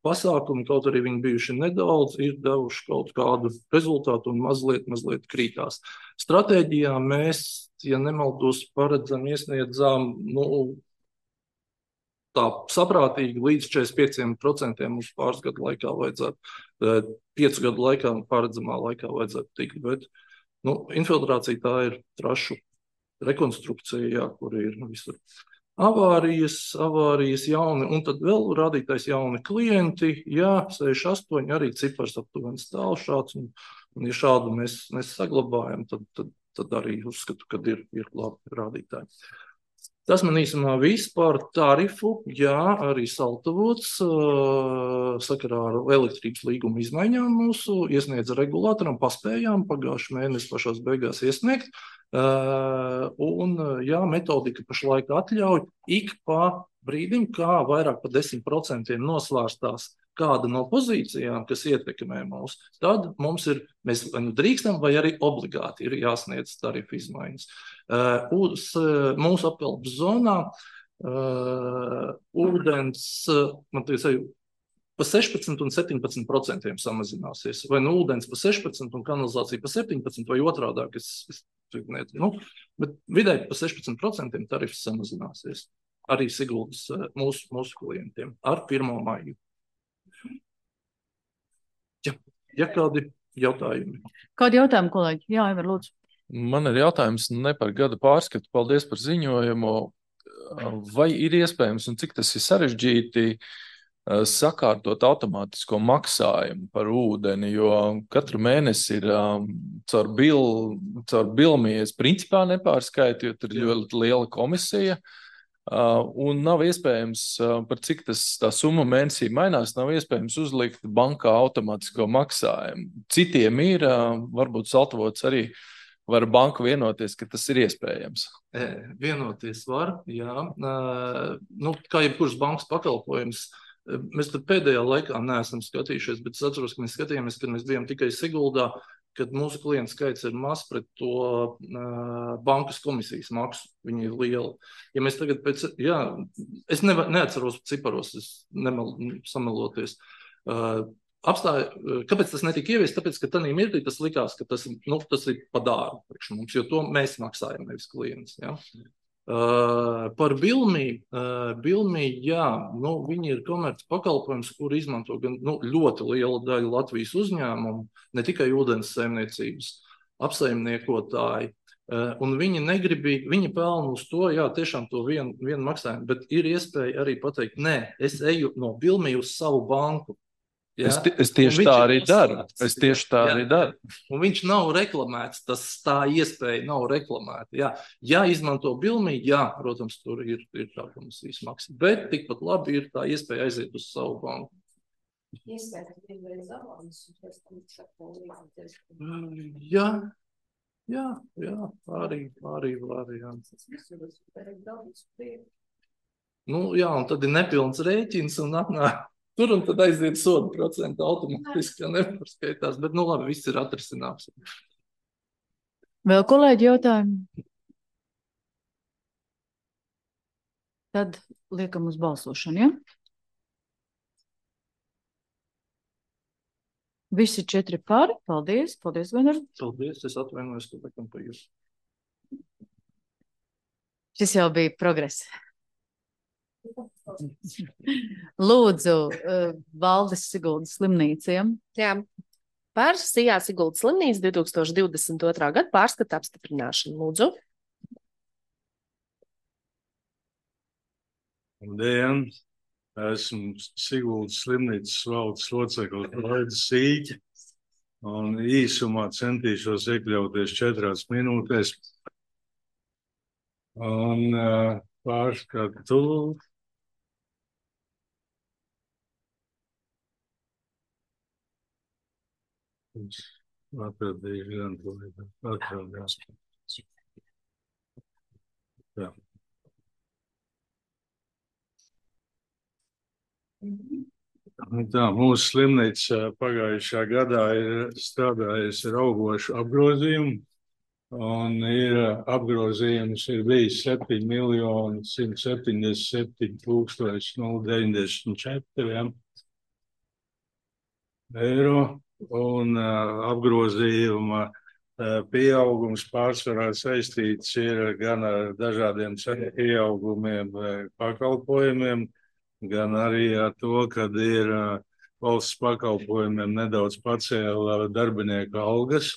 [SPEAKER 6] pasākumu, kaut arī viņi bijuši nedaudz, ir devuši kaut kādu rezultātu un mazliet, mazliet krītās. Stratēģijā mēs, ja nemaldos, paredzam, iesniedzām, nu, tā saprātīgi līdz četrdesmit pieciem procentiem uz pāris gadu laikā vajadzētu, piecu gadu laikā, paredzamā laikā vajadzētu tikt, bet nu, infiltrācija tā ir trašu rekonstrukcija, jā, kur ir visur avārijas, avārijas jauni, un tad vēl rādītais jauni klienti, jā, sešdesmit astoņi arī cipars aptuveni stāv šāds, un, un ja šādu mēs, mēs saglabājam, tad, tad, tad arī uzskatu, ka ir, ir labi rādītāji. Tas man īsumā viss par tarifu, jā, arī saltavots sakarā ar elektrības līguma izmaiņām mūsu iesniedza regulātoram, paspējām pagājušajā mēnesi pašās beigās iesniegt, un jā, metodika pašlaik atļauj ik pa brīdim, kā vairāk pa desmit procentiem nosvārstās kāda no pozīcijām, kas ietekmē mūs, tad mums ir, mēs vai nu drīkstam, vai arī obligāti ir jāsniedz tarifu izmaiņas. Uh, uz uh, mūsu apkalpes zonā uh, ūdens, uh, man tiesai, pa sešpadsmit un septiņpadsmit procentiem samazināsies. Vai nu ūdens pa sešpadsmit un kanalizācija pa septiņpadsmit vai otrādāk, es, es ne, nu, bet vidēji pa sešpadsmit procentiem tarifs samazināsies. Arī Siguldas uh, mūsu, mūsu klientiem ar pirmo maiju. Ja, ja kādi jautājumi?
[SPEAKER 1] Kādi jautājumi, kolēģi? Jā, Ivar, lūdzu.
[SPEAKER 9] Man ir jautājums ne par gada pārskatu, paldies par ziņojumu. Vai ir iespējams un cik tas ir sarežģīti sakārtot automātisko maksājumu par ūdeni, jo katru mēnesi ir caur, bil, caur bilmies principā nepārskaitu, jo tur ir ļoti liela komisija. Uh, un nav iespējams, uh, par cik tas tā summa mēnesī mainās, nav iespējams uzlikt bankā automātisko maksājumu. Citiem ir, uh, varbūt saltavots arī var banka vienoties, ka tas ir iespējams.
[SPEAKER 6] E, vienoties var, jā. Uh, nu, kā jebkurš bankas pakalpojums, mēs tur pēdējā laikā neesam skatījušies, bet es atceros, ka mēs skatījāmies, kad mēs bijām tikai Siguldā, kad mūsu klientu skaits ir maz pret to uh, bankas komisijas maksu, viņi ir lieli. Ja mēs tagad pēc, jā, es neva, neatceros ciparos, es nemal, sameloties. Uh, apstāja, kāpēc tas netika ieviest? Tāpēc, ka tanī mirklī tas likās, ka tas, nu, tas ir pa dārgu priekš mums, jo to mēs maksājam, nevis klients. Ja? Uh, par Bilmī, uh, Bilmī, jā, nu, viņi ir komerc pakalpojums, kur izmanto gan nu, ļoti liela daļa Latvijas uzņēmumu, ne tikai ūdens saimniecības apsaimniekotāji, uh, un viņi negribīgi, viņi pelna uz to, jā, tiešām to vienu, vienu maksājumu, bet ir iespēja arī pateikt, nē, es eju no Bilmī uz savu banku, Ja?
[SPEAKER 9] Es, es tieši
[SPEAKER 6] Un
[SPEAKER 9] tā
[SPEAKER 6] viņš ir
[SPEAKER 9] arī daru.
[SPEAKER 6] noslēgts.
[SPEAKER 9] Es tieši tā
[SPEAKER 6] Jā.
[SPEAKER 9] arī daru.
[SPEAKER 6] Un viņš nav reklamēts, tas tā iespēja nav reklamēta. Jā, ja izmanto bilmi, jā, protams, tur ir, ir tā komisijas maksa. Bet tikpat labi ir tā iespēja aiziet uz savu banku. Jā, jā, jā, arī, arī variants. Nu, jā, un tad ir nepilns rēķins un atnāk. Tur un tad aiziet soda procentu automātiski, ja nepārskaitās. Bet, nu labi, viss ir atrisināms.
[SPEAKER 1] Vēl kolēģi jautājumi? Tad liekam uz balsošanu, ja? Visi četri par. Paldies. Paldies, Vener.
[SPEAKER 6] Paldies, es atvainojos, ka bekam pa jūs.
[SPEAKER 1] Šis jau bija progress. Lūdzu, uh, Valdes Siguldas slimnīca, ja?
[SPEAKER 2] Jā. Par Sijā Siguldas slimnīcu divi tūkstoši divdesmit otrā gada pārskata apstiprināšanu. Lūdzu.
[SPEAKER 10] Labdien! Esmu Siguldas slimnīcas valdes loceklis Laidis Sīķi un īsumā centīšos iekļauties četrās minūtēs. Un uh, pārskatu. Atradīšu gan to, atradījās. Jā. Tā, mūsu slimnīca pagājušā gadā ir strādājusi ar augošu apgrozījumu, un ir apgrozījums ir bijis septiņi miljoni simt septiņdesmit septiņi tūkstoši deviņdesmit četri eiro, un uh, apgrozījuma uh, pieaugums pārsvarā saistīts ir gan ar dažādiem cenu pieaugumiem pakalpojumiem, gan arī ar to, kad ir uh, valsts pakalpojumiem nedaudz pacēla darbinieku algas,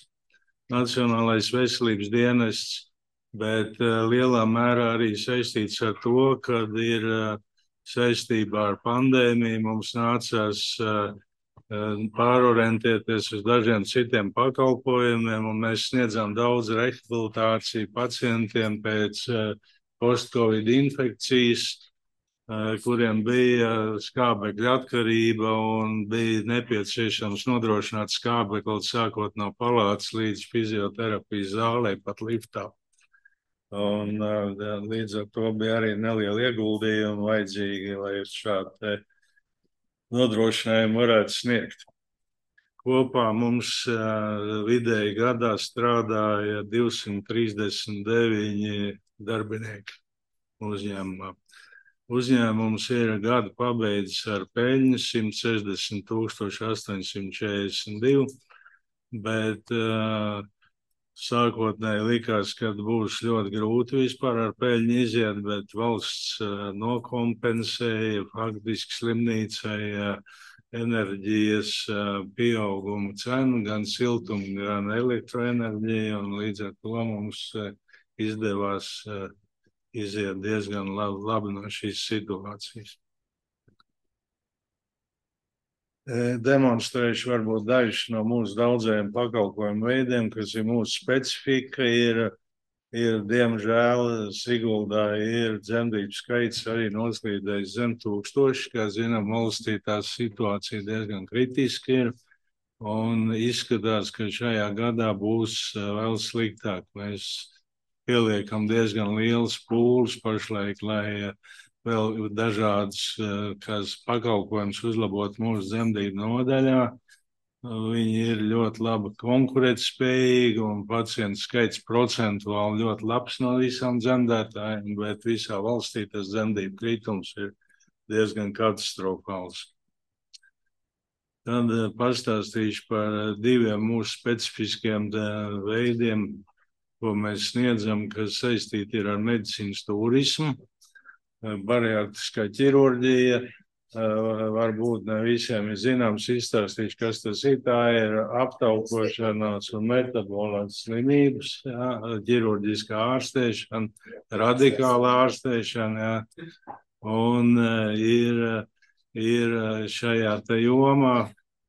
[SPEAKER 10] Nacionālais veselības dienests, bet uh, lielā mērā arī saistīts ar to, kad ir uh, saistībā ar pandēmiju mums nācās uh, pārorientēties uz dažiem citiem pakalpojumiem, un mēs sniedzām daudz rehabilitāciju pacientiem pēc uh, post-covid infekcijas, kuriem bija skābekļa atkarība un bija nepieciešams nodrošināt skābekli sākot no palātas līdz fizioterapijas zālē, pat liftā. Un līdz ar to bija arī neliela ieguldījuma vajadzīgi, lai šādu nodrošinājumu varētu sniegt. Kopā mums vidēji gadā strādāja divsimt trīsdesmit deviņi darbinieki uzņēmumā. Uzņēmums ir gadu pabeidzis ar peļņu simt sešdesmit tūkstoši astoņsimt četrdesmit divi, bet uh, sākotnēji likās, ka būs ļoti grūti vispār ar peļņu iziet, bet valsts uh, nokompensēja faktiski slimnīcai uh, enerģijas uh, pieaugumu cenu, gan siltumu, gan elektroenerģiju, un līdz ar to mums uh, izdevās uh, iziet diezgan labi, labi no šīs situācijas. Demonstrēšu varbūt dažus no mūsu daudzajiem pakalpojumu veidiem, kas ir mūsu specifika. Ir, ir diemžēl, Siguldā ir dzemdību skaits arī noslīdējis zem tūkstoši. Kā zinām, valstī tā situācija diezgan kritiski ir. Un izskatās, ka šajā gadā būs vēl sliktāk. Mēs pieliekam diezgan liels pūles pašlaik, lai vēl dažādas kas pakalpojums uzlabot mūsu dzemdību nodaļā. Viņi ir ļoti labi konkurētspējīgi un pacientu skaits procentuāli ļoti labs no visām dzemdētājiem, bet visā valstī tas dzemdību kritums ir diezgan katastrofāls. Tad pastāstīšu par diviem mūsu specifiskiem veidiem, ko mēs sniedzam, kas saistīti ir ar medicīnas turismu. Bariatriskā ķirurģija, varbūt ne visiem ir zināms, izstāstīšu, kas tas ir. Tā ir aptaukošanās un metabolās slimības, jā, ķirurģiskā ārstēšana, radikāla ārstēšana, jā. Un ir, ir šajā te jomā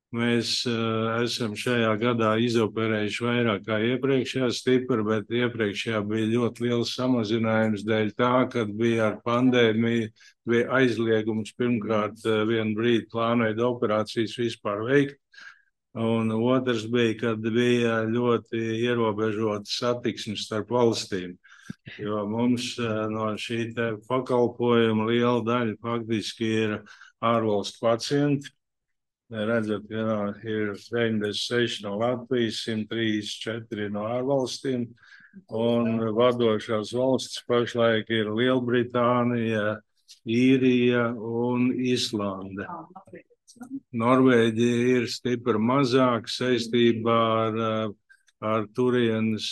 [SPEAKER 10] Mēs uh, esam šajā gadā izoperējuši vairāk kā iepriekšējā stipri, bet iepriekšējā bija ļoti liels samazinājums dēļ tā, kad bija ar pandēmiju, bija aizliegums pirmkārt uh, vienu brīdi plānojot operācijas vispār veikt, un otrs bija, kad bija ļoti ierobežota satiksme starp valstīm, jo mums uh, no šī te pakalpojuma liela daļa faktiski ir ārvalstu pacienti. Redzat, ka ir deviņdesmit seši no Latvijas, simt trīsdesmit četri no ārvalstīm, un vadošās valstis pašlaik ir Lielbritānija, Īrija un Islande. Norvēģija ir stipri mazāk saistībā ar, ar turienes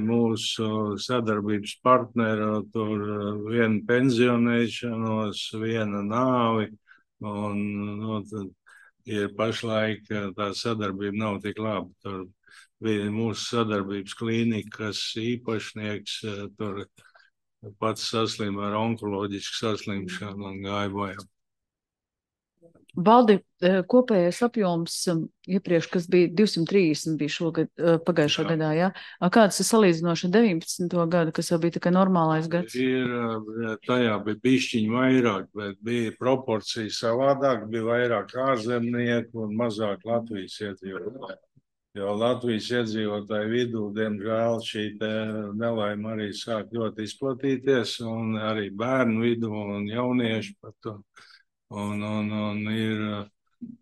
[SPEAKER 10] mūsu sadarbības partneru, tur viena pensionēšanos, viena nāvi, un no, tad ir pašlaik tā sadarbība nav tik laba. Tur bija mūsu sadarbības klīnika, kas īpašnieks tur pats saslima ar onkoloģisku saslimšanu un gāja bojā.
[SPEAKER 1] Valdi, kopējais apjoms iepriekš, kas bija divsimt trīsdesmit, bija šogad, pagājušā jā. gadā, jā? Kāds ir salīdzinoši deviņpadsmito gadu, kas jau bija tikai normālais gads?
[SPEAKER 10] Ir, tajā bija bišķiņi vairāk, bet bija proporcija savādāk, bija vairāk ārzemnieku un mazāk Latvijas iedzīvotāji. Jo Latvijas iedzīvotāju vidū, diemžēl, šī te nelaime arī sāk ļoti izplatīties, un arī bērnu vidū un jaunieši par to. Un, un, un ir,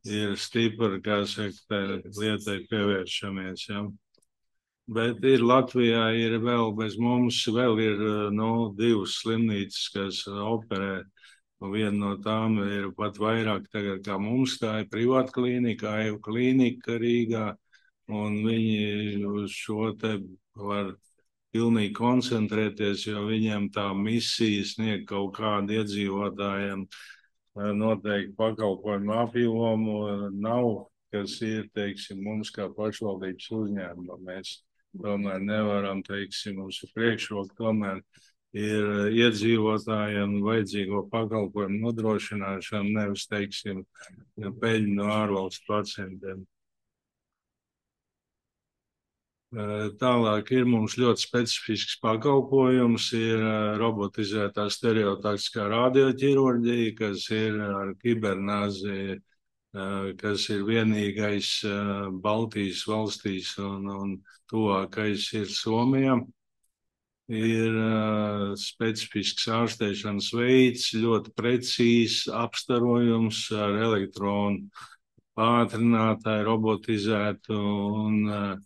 [SPEAKER 10] ir stipri, kā saka, lietai pievēršamies. Ja. Bet ir Latvijā ir vēl bez mums, vēl ir no, divas slimnīcas, kas operē. Viena no tām ir pat vairāk tagad kā mums, tā ir privāta klīnika, Aivu klīnika Rīgā, un viņi uz šo te var pilnīgi koncentrēties, jo viņiem tā misija sniegt kaut kādu iedzīvotājiem noteikti pakalpojumu apjomu nav, kas ir, teiksim, mums kā pašvaldības uzņēmuma. Mēs tomēr nevaram, teiksim, mums ir priekšroka, tomēr ir iedzīvotājiem vajadzīgo pakalpojumu nodrošināšanu, nevis, teiksim, peļņu no ārvalstu pacientiem. Tālāk ir mums ļoti specifisks pakalpojums, ir robotizētā stereotaktiskā radioķirurģija, kas ir ar kibernāzi, kas ir vienīgais Baltijas valstīs un, un tuvākais ir Somijā. Ir specifisks ārstēšanas veids, ļoti precīzs apstarojums ar elektronu pātrinātāju robotizētu un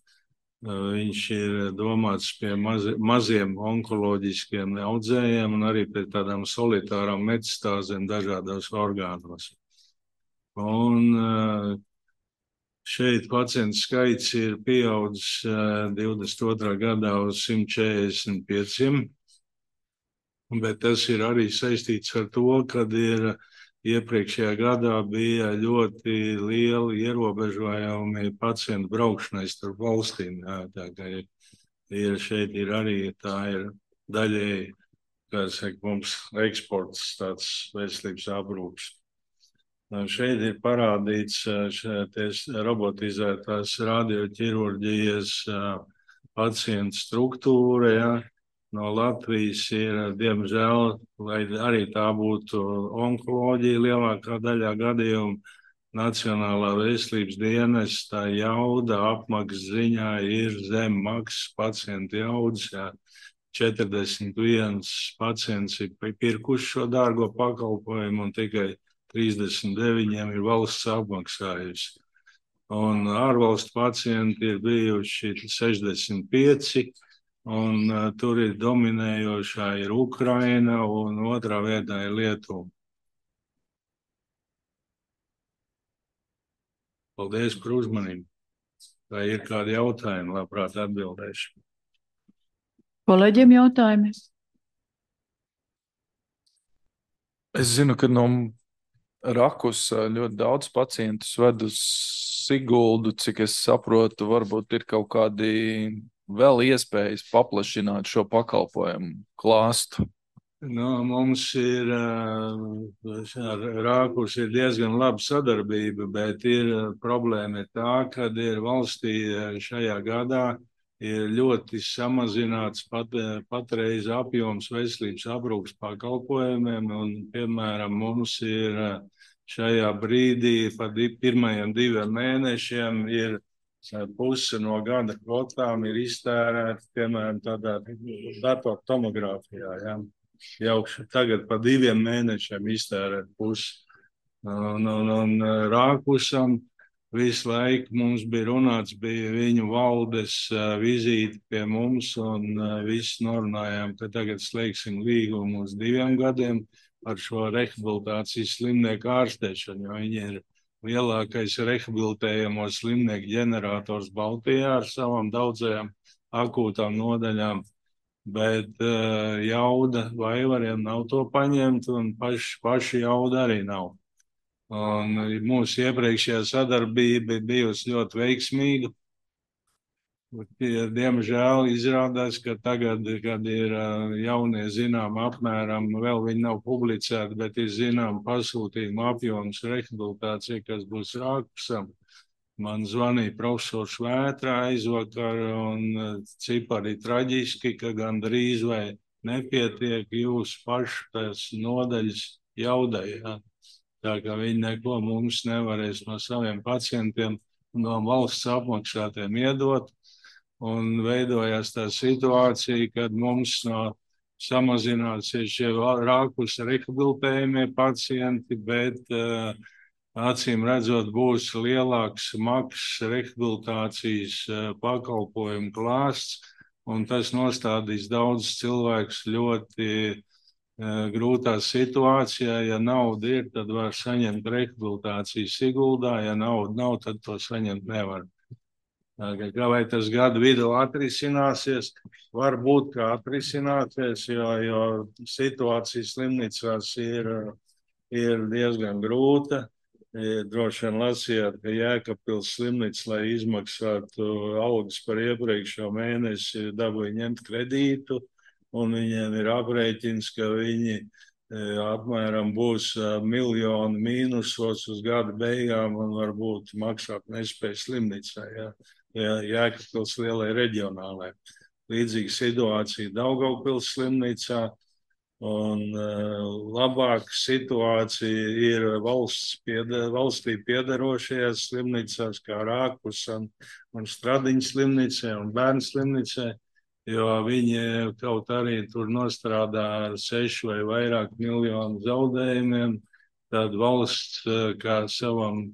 [SPEAKER 10] viņš ir domāts pie mazi, maziem onkoloģiskiem audzējiem un arī pie tādām solitārām metastāzēm dažādos orgānos. Un šeit pacientu skaits ir pieaudzis divdesmit otrā gadā uz simt četrdesmit pieciem, bet tas ir arī saistīts ar to, kad ir iepriekšējā gadā bija ļoti lieli ierobežojumi pacientu braukšanai starp valstīm. Jā, tā kā ir, ir šeit ir arī tā ir daļēji, kā saka, mums eksports tāds veselības aprūpes. Šeit ir parādīts šeit robotizētās radioķirurģijas pacientu struktūra, jā. No Latvijas ir, diemžēl, lai arī tā būtu onkoloģija lielākā daļā gadījumu, Nacionālā veselības dienesta jauda apmaksas ziņā ir zem maksas pacientu jaudas. Jā. četrdesmit viens pacients ir pirkuši šo dārgo pakalpojumu un tikai trīsdesmit deviņiem ir valsts apmaksājusi. Un ārvalstu pacienti ir bijuši sešdesmit pieci. Un uh, tur ir dominējošā ir Ukraina un otrā vietā ir Lietuva. Paldies par uzmanību. Vai ir kādi jautājumi, labprāt atbildēšu.
[SPEAKER 1] Kolēģiem jautājumi?
[SPEAKER 9] Es zinu, ka no Rakus ļoti daudz pacientus ved uz Siguldu, cik es saprotu, varbūt ir kaut kādi vēl iespējas paplašināt šo pakalpojumu klāstu.
[SPEAKER 10] Nu, mums ir ar Rākus ir diezgan laba sadarbība, bet ir problēma ir tā, ka ir valstī šajā gadā ir ļoti samazināts pat, patreiz apjoms veselības aprūpas pakalpojumiem, un, piemēram, mums ir šajā brīdī pa di, pirmajiem diviem mēnešiem ir puse no gada kvotām ir iztērēta, piemēram, tādā datortomogrāfijā, ja? Jau tagad pa diviem mēnešiem iztērēt pusi. Un, un, un Rākusam visu laiku mums bija runāts, bija viņu valdes vizīte pie mums, un visi norunājām, ka tagad slēgsim līgumu uz diviem gadiem ar šo rehabilitācijas slimnieku ārstēšanu, jo viņi ir lielākais rehabilitējamo slimnieku ģenerators Baltijā ar savām daudzajām akūtām nodaļām. Bet uh, jauda vaivariem nav to paņemt, un paši, paši jauda arī nav. Un mūsu iepriekšējā sadarbība bijusi ļoti veiksmīga. Diemžēl izrādās, ka tagad, kad ir uh, jaunie zinām apmēram, vēl viņi nav publicēti, bet ir zinām pasūtījumu apjoms rehabilitācija, kas būs Rākusam. Man zvanīja profesors Vētrā aizvakar, un cipari traģiski, ka gandrīz vai nepietiek jūsu pašu tās nodaļas jaudai. Ja? Tā kā viņi neko mums nevarēs no saviem pacientiem, no valsts apmaksātiem iedot. Un veidojās tā situācija, kad mums no samazināsies šie Rākus rehabilitējumie pacienti, bet uh, acīm redzot, būs lielāks maksas rehabilitācijas pakalpojumu klāsts, un tas nostādīs daudz cilvēkus ļoti uh, grūtā situācijā. Ja nauda ir, tad var saņemt rehabilitāciju Siguldā, ja nauda nav, tad to saņemt nevar. Kā vai tas gadu vidū atrisināsies, varbūt kā atrisināsies, jo, jo situācija slimnīcās ir, ir diezgan grūta. Droši vien lasījāt, ka Jēkabpils slimnīca, lai izmaksātu algas par iepriekšējo mēnesi, dabūja ņemt kredītu, un viņiem ir aprēķins, ka viņi apmēram būs miljonu mīnusos uz gada beigām un varbūt maksāt nespēj slimnīcā, ja, ja Jēkabpils lielai reģionālai. Līdzīga situācija Daugavpils slimnīcā. Un uh, labāka situācija ir valsts pieder, valstī piederošajās slimnīcās, kā Rākus un, un Stradiņas slimnīcē un Bērnu slimnīcē, jo viņi kaut arī tur nostrādā ar sešu vai vairāk miljonu zaudējumiem, tad valsts kā savam,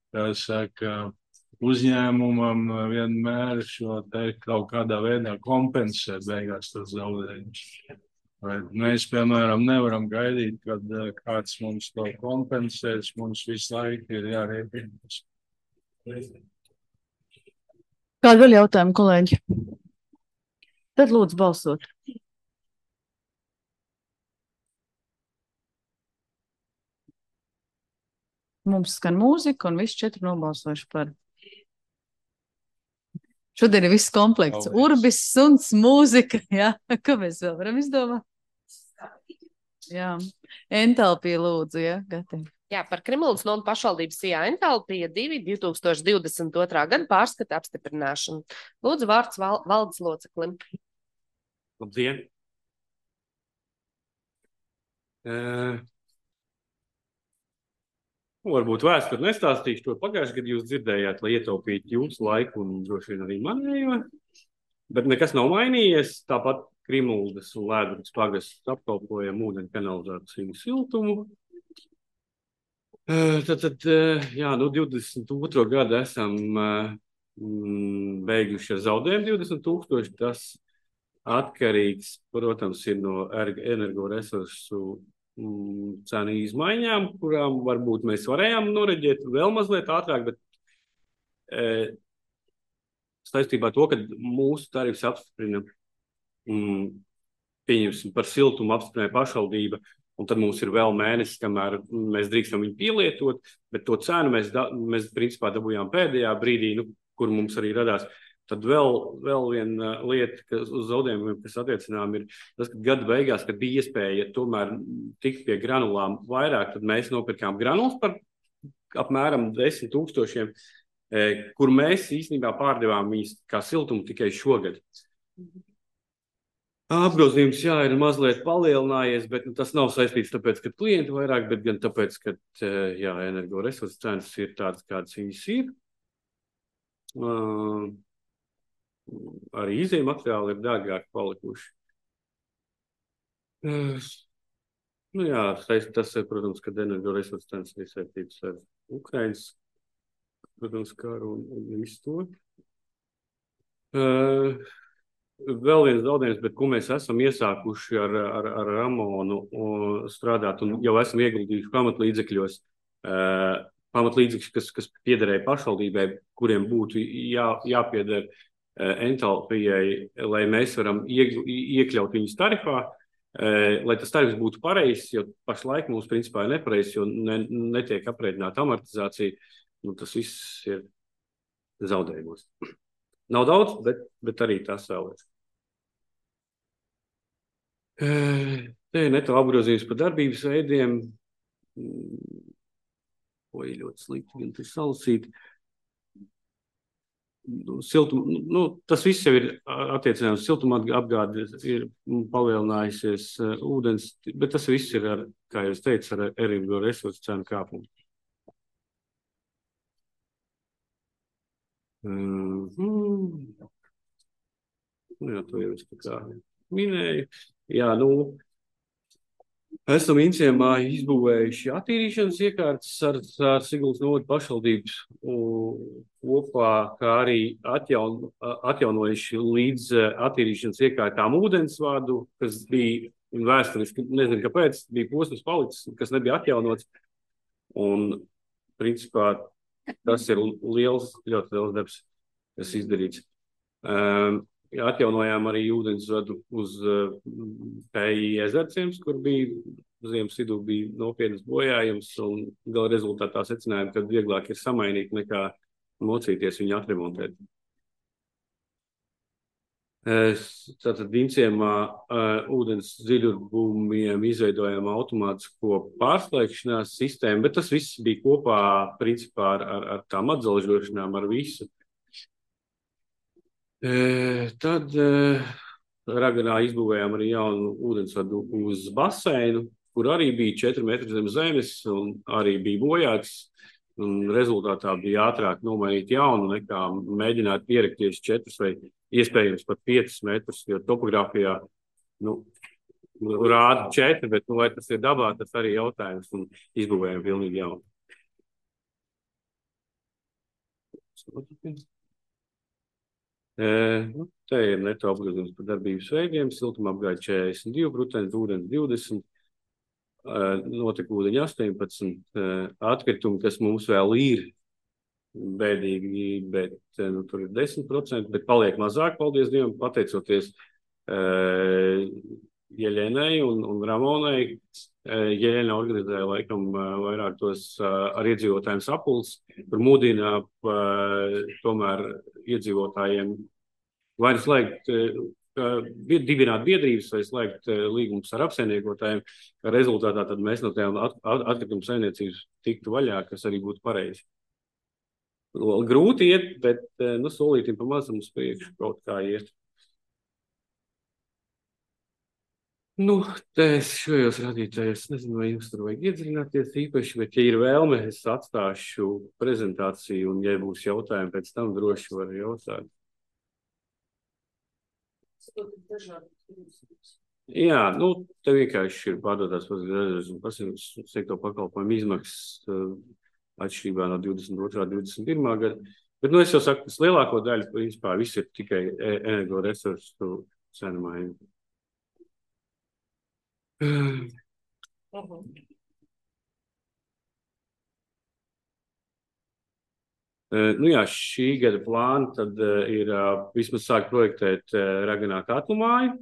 [SPEAKER 10] kā saka, uzņēmumam vienmēr šo te kaut kādā veidā kompensē beigās tos zaudējumus. Mēs, piemēram, nevaram gaidīt, kad kāds mums to kompensēs. Mums visu laiku ir jārēķinās.
[SPEAKER 1] Kādi vēl jautājumi, kolēģi? Tad lūdzu balsot. Mums skan mūzika un visi četri nobalsojuši par. Šodien ir viss komplekts. Urbis, suns, mūzika. Jā, ko mēs vēl varam izdomāt? Jā, entalpija lūdzu, jā, gatavi.
[SPEAKER 2] Jā, par Krimuldas nodu pašvaldības sijā entalpija divi divs tūkstoši divdesmit otrā gada pārskata apstiprināšanu. Lūdzu vārds val, valdes loceklim.
[SPEAKER 11] Labdien! Uh... Varbūt vēsturi nestāstīšu to pagājušajā gadā jūs dzirdējāt, lai ietaupītu jūsu laiku un droši vien arī manējo. Bet nekas nav mainījies. Tāpat Krimuldas un Lēdrukas pagasts apkalpojam ūdeņu kanalizāciju siltumu. Tad, tad jā, nu divdesmit otro gadu esam mm, beiguši ar zaudējumu divdesmit tūkstoši. Tas atkarīgs, protams, ir no energoresursu cenu izmaiņām, kurām varbūt mēs varējām noreģēt vēl mazliet ātrāk, bet e, saistībā to, ka mūsu tarifs apstiprina, mm, pieņemsim par siltumu apstiprināja pašvaldība, un tad mums ir vēl mēnesis, kamēr mēs drīkstam viņu pielietot, bet to cenu mēs, da, mēs principā dabūjām pēdējā brīdī, nu, kur mums arī radās. tad vēl, vēl viena lieta, kas uz zaudējumiem, kas attiecinām, ir tas, ka gada beigās, kad bija iespēja tomēr tikt pie granulām vairāk, tad mēs nopirkām granulas par apmēram desmit tūkstošiem, kur mēs īstenībā pārdevām viņas kā siltumu tikai šogad. Apgrozījums, jā, ir mazliet palielinājies, bet nu, tas nav saistīts tāpēc, ka klienti vairāk, bet gan tāpēc, ka jā, energoresursu cenas ir tādas, kādas viņas ir. Uh, arī izējuma materiāli ir dārgāki palikuši. Uh, nu jā, tas ir, protams, ka energoresursu cenas ir saistītas ar Ukrainas, protams, karu un, un visu to. Uh, Vēl viens zaudējums, bet ko mēs esam iesākuši ar, ar, ar Ramonu strādāt un jau esam ieguldījuši pamatlīdzekļos, uh, pamatlīdzekļus, kas, kas piederēja pašvaldībai, kuriem būtu jā, jāpieder uh, entalpijai, lai mēs varam ieg, iekļaut viņus tarifā, uh, lai tas tarifs būtu pareizs, jo pašlaik mums principā ir nepareizs, jo ne, netiek aprēķināta amortizācija, nu, tas viss ir zaudējumos. Nav daudz, bet, bet arī tas vēl ir. Te ir neto apgrozījums par darbības veidiem. Oi, ļoti slikti, gan tas salasīt. Siltum, nu, tas viss jau ir attiecināms. Siltuma apgāde ir palielinājusies uh, ūdens, bet tas viss ir, ar, kā jau es teicu, ar energoresursu cenu kāpumu. Mm-hmm. Jā, to jau es kā minēju. Jā, nu, esam Inciemā izbūvējuši attīrīšanas iekārtas ar, ar Siguldas novada pašvaldības kopā, kā arī atjaun, atjaunojuši līdz attīrīšanas iekārtām ūdensvadu, kas bija vēsturiski, nezinu kāpēc, bija posms palicis, kas nebija atjaunots. Un, principā, tas ir liels, ļoti liels darbs, kas izdarīts. Um, atjaunojām arī ūdensvadu uz uh, P I ezerciems, kur bija ziemas vidū bija nopietnas bojājums, un gala rezultātā secinājām, ka vieglāk ir samainīt nekā mocīties viņu atremontēt. Tātad Inciemā uh, ūdens dziļurbumiem izveidojām automātisko pārslēgšanās sistēmu, bet tas viss bija kopā principā ar, ar, ar tām atzelžošanām, ar visu. E, tad e, Raganā izbūvējām arī jaunu ūdensvadu uz baseinu, kur arī bija četri metri zem zemes un arī bija bojāts. Un rezultātā bija ātrāk nomainīt jaunu nekā mēģināt pierakties četrus vai iespējams pat piecus metrus, jo topogrāfijā nu, rāda četri, bet nu, vai tas ir dabā, tas arī jautājums un izbūvējam pilnīgi jaunu. E, nu, te ir neto apgrozījums par darbības veidiem, siltuma apgāde četrdesmit divi procenti, ūdens divdesmit, notika ūdeņa astoņpadsmit, atkritumi, kas mums vēl ir bēdīgi, bet nu, tur ir desmit procenti, bet paliek mazāk, paldies Dievam, pateicoties uh, Jeļenai un, un Ramonai. Uh, Jeļena organizēja laikam uh, vairāk tos uh, ar iedzīvotājiem sapulces, kur mudina uh, tomēr iedzīvotājiem vai nu slēgt uh, dibināt biedrības vai slēgt līgumus ar apsaimniekotājiem, ka rezultātā tad mēs no tām at, at, atkritumu saimniecības tiktu vaļā, kas arī būtu pareizi. Grūti iet, bet nu, solītim pa mazam uz priekšu kaut kā iet. Nu, te es šajos radītājos, nezinu, vai jums tur vajag iedziļināties īpaši, bet ja ir vēlme, es atstāšu prezentāciju un, ja būs jautājumi, pēc tam droši var jautāt. Jā, nu, te vienkārši ir pārdotās pazīstams un pasīvas sektora pakalpojumu izmaksas atšķirībā no divdesmit otrā divdesmit pirmā gada. Bet, nu, es jau saku, tas lielāko daļu, principā, viss ir tikai energoresursu cenu maiņa. Uh-huh. Uh, nu jā, šī gada plāna tad uh, ir uh, vismaz sāk projektēt uh, Raganā katlu māju.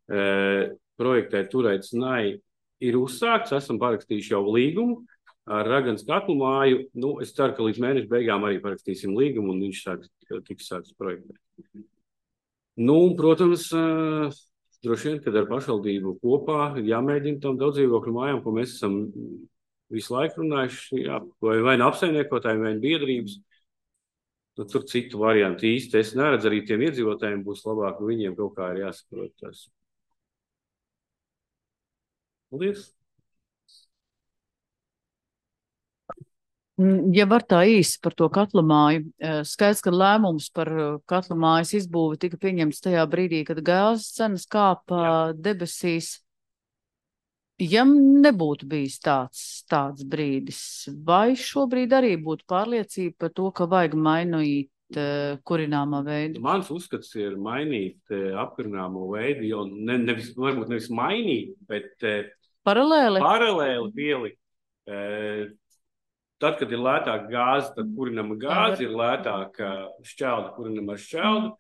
[SPEAKER 11] Uh, projektēt turēt Snai ir uzsākts, esam parakstījuši jau līgumu. ar Ragans katlu māju. Nu, es ceru, ka līdz mēneša beigām arī parakstīsim līgumu un viņš sāks, tiks sāks projektēt. Nu, un, protams, droši vien, kad ar pašvaldību kopā jāmēģina tam daudzdzīvokļu mājām, ko mēs esam visu laiku runājuši, jā, vai, vai nu apsaimniekotājiem, vai nu biedrības. Nu, tur citu variantu īsti es neredzu, arī tiem iedzīvotājiem būs labāk, un viņiem kaut kā ir jāsaprot tas. Paldies!
[SPEAKER 1] Ja var tā īsi par to katla māju, skaidrs, ka lēmums par katla mājas izbūvi tika pieņemts tajā brīdī, kad gāzes cenas kāpa debesīs. Ja nebūtu bijis tāds, tāds brīdis, vai šobrīd arī būtu pārliecība par to, ka vajag mainīt uh, kurināmā veidu?
[SPEAKER 11] Mans uzskats ir mainīt uh, apkurināmo veidu, jo ne, nevis, varbūt nevis mainīt, bet uh,
[SPEAKER 1] paralēli,
[SPEAKER 11] paralēli pielikt. Uh, tad, kad ir lētāka gāze, tad kurinama gāze, ir lētāka šķelda, kurinama šķelda.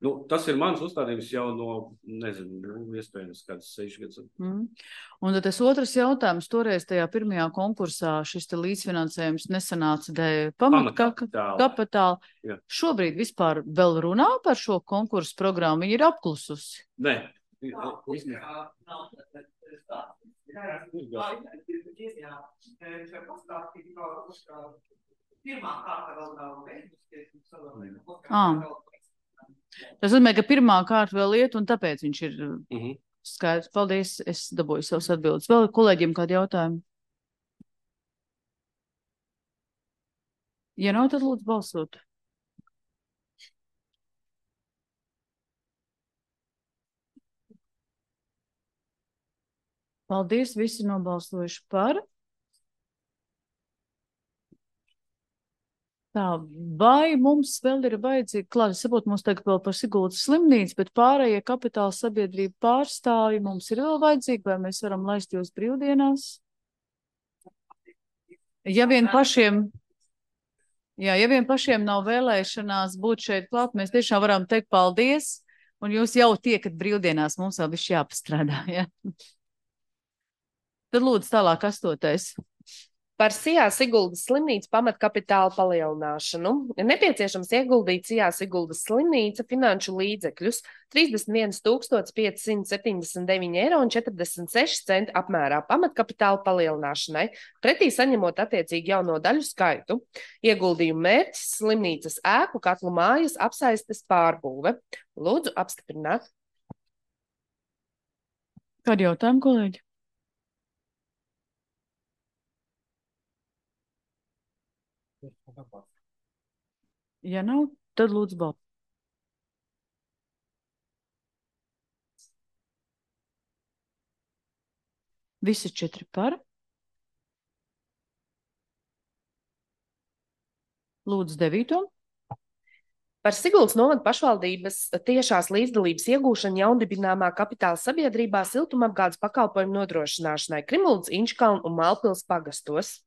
[SPEAKER 11] Nu, tas ir mans uzstādījums jau no, nezinu, iespējams, kāds seši gadus.
[SPEAKER 1] Mm. Un tad tas otrs jautājums, toreiz tajā pirmajā konkursā šis te līdzfinansējums nesanāca dēļ pamatkapitāla. Kapitāla.
[SPEAKER 11] Jā.
[SPEAKER 1] Šobrīd vispār vēl runā par šo konkursu programmu, viņi ir apklususi?
[SPEAKER 11] Nē.
[SPEAKER 1] Ah. Tas nozīmē, ka pirmā kārta vēl iet, un tāpēc viņš ir mm-hmm. skaidrs. Paldies, es dabūju savus atbildes. Vēl kolēģiem kādi jautājumi? Ja nav, tad lūdzu balsot. Paldies, visi nobalsojuši par. Tā, vai mums vēl ir vajadzīgi, klāt, es saprotu, mums tagad vēl par Siguldas slimnīcu, bet pārējie kapitāla sabiedrība pārstāvji mums ir vēl vajadzīgi, vai mēs varam laist jūs brīvdienās? Ja vien pašiem, jā, ja vien pašiem nav vēlēšanās būt šeit klāt, mēs tiešām varam teikt paldies, un jūs jau tiekat brīvdienās, mums vēl viss jāpastrādā, ja? Tad lūdzu tālāk astotais.
[SPEAKER 2] Par Sijā Siguldas slimnīcu pamatkapitāla palielināšanu. Ir nepieciešams ieguldīt Sijā Siguldas slimnīca finanšu līdzekļus trīsdesmit viens tūkstotis pieci simti septiņdesmit deviņi eiro un četrdesmit seši centi apmērā pamatkapitāla palielināšanai, pretī saņemot attiecīgi jauno daļu skaitu. Ieguldījumu mērķis slimnīcas ēku katlu mājas apsaistes pārbūve. Lūdzu apstiprināt.
[SPEAKER 1] Kādi jautājumi, kolēģi? Ja nav, tad lūdzu balsot. Visi četri par. Lūdzu devīto.
[SPEAKER 2] Par Siguldas novada pašvaldības tiešās līdzdalības iegūšanu jaundibināmā kapitāla sabiedrībā siltumapgādes pakalpojumu nodrošināšanai Krimuldas, Inčkalna un Mālpils pagastos.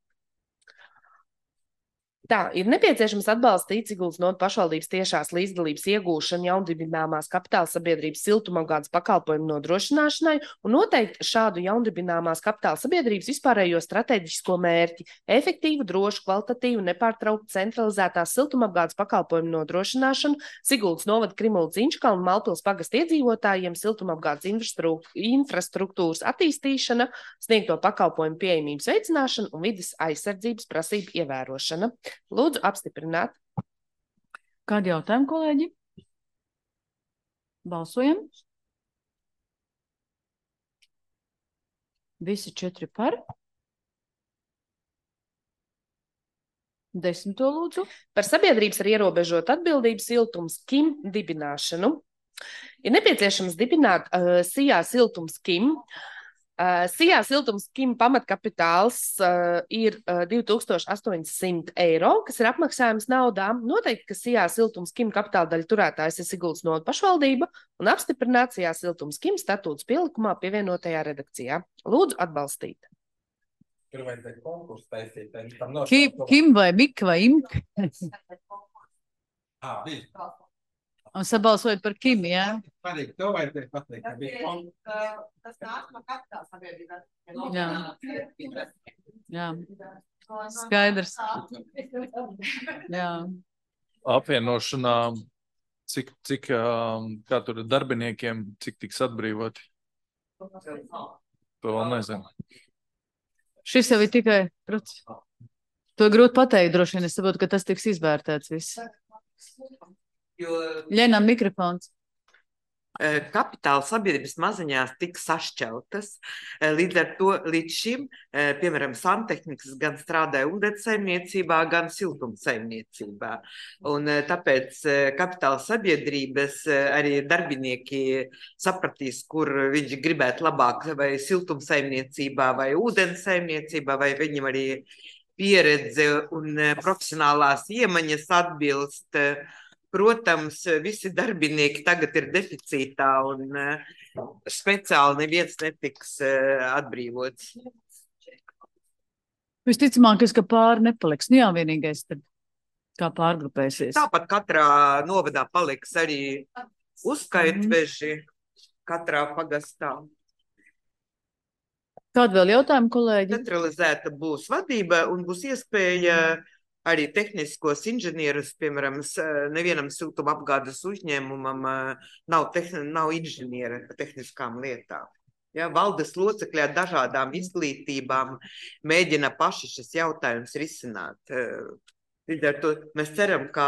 [SPEAKER 2] Tā, ir nepieciešams atbalstīt Siguldas novada pašvaldības tiešās līdzdalības iegūšanu jaundibināmās kapitāla sabiedrības siltumapgādes pakalpojumu nodrošināšanai un noteikt šādu jaundibināmās kapitāla sabiedrības vispārējo strateģisko mērķi - efektīvu, drošu, kvalitatīvu, nepārtrauktu centralizētās siltumapgādes pakalpojumu nodrošināšanu Siguldas novada Krimuldas, Inčkalna un Mālpils pagasta iedzīvotājiem, siltumapgādes infrastruktūras attīstīšana, sniegto pakalpojumu pieejamības veicināšana un vides aizsardzības prasību ievērošana. Lūdzu apstiprināt.
[SPEAKER 1] Kādi jautājumi, kolēģi? Balsojam. Visi četri par. Desmito lūdzu.
[SPEAKER 2] Par sabiedrības ar ierobežotu atbildību siltums Kim dibināšanu. Ir nepieciešams dibināt uh, Sijā siltums Kim. Uh, Sijā siltums Kim pamatkapitāls uh, ir uh, divi tūkstoši astoņsimt eiro, kas ir apmaksājums naudā. Noteikti, ka Sijā siltums Kim kapitāla daļa turētājs ir Siguldas novada pašvaldība un apstiprināt Sijā siltums Kim statūtas pielikumā pievienotajā redakcijā. Lūdzu atbalstīt.
[SPEAKER 4] Tur vajadzēja konkursu taisīt.
[SPEAKER 1] Kim, Kim vai Mika vai Imka?
[SPEAKER 4] Ah, bija.
[SPEAKER 1] Un sabalsojot par Kim, jā?
[SPEAKER 4] Patīk, to vajadzēja pateikt, ka bija.
[SPEAKER 12] Tas nāk no kapitāla sabiedrībā.
[SPEAKER 1] Jā. Jā. Skaidrs. Jā.
[SPEAKER 9] Apvienošanā, cik, cik kā tur darbiniekiem, cik tiks atbrīvoti? To vēl nezinu.
[SPEAKER 1] Šis jau ir tikai process. To grūti pateikt, droši vien. Es saprotu, ka tas tiks izvērtēts viss. Ļenam mikrofons.
[SPEAKER 7] Kapitāla sabiedrības maziņās tika sašķeltas. Līdz ar to līdz šim, piemēram, santehnikas gan strādāja ūdenssaimniecībā, gan siltumsaimniecībā. Un tāpēc kapitāla sabiedrības arī darbinieki sapratīs, kur viņi gribētu labāk, vai siltumsaimniecībā, vai ūdenssaimniecībā, vai viņam arī pieredze un profesionālās iemaņas atbilst. Protams, visi darbinieki tagad ir deficītā un speciāli neviens netiks atbrīvots.
[SPEAKER 1] Visticamāk, ka pāri nepaliks. Nu jā, vienīgais tad kā pārgrupēsies.
[SPEAKER 7] Tāpat katrā novadā paliks arī uzskaitveži katrā pagastā.
[SPEAKER 1] Kādu vēl jautājumu, kolēģi?
[SPEAKER 7] Centralizēta būs vadība un būs iespēja arī tehniskos inženierus, piemēram, nevienam siltuma apgādes uzņēmumam nav, tehn, nav inženiera par tehniskām lietām. Ja, valdes locekļi ar dažādām izglītībām mēģina paši šis jautājums risināt. Līdz ar to mēs ceram, ka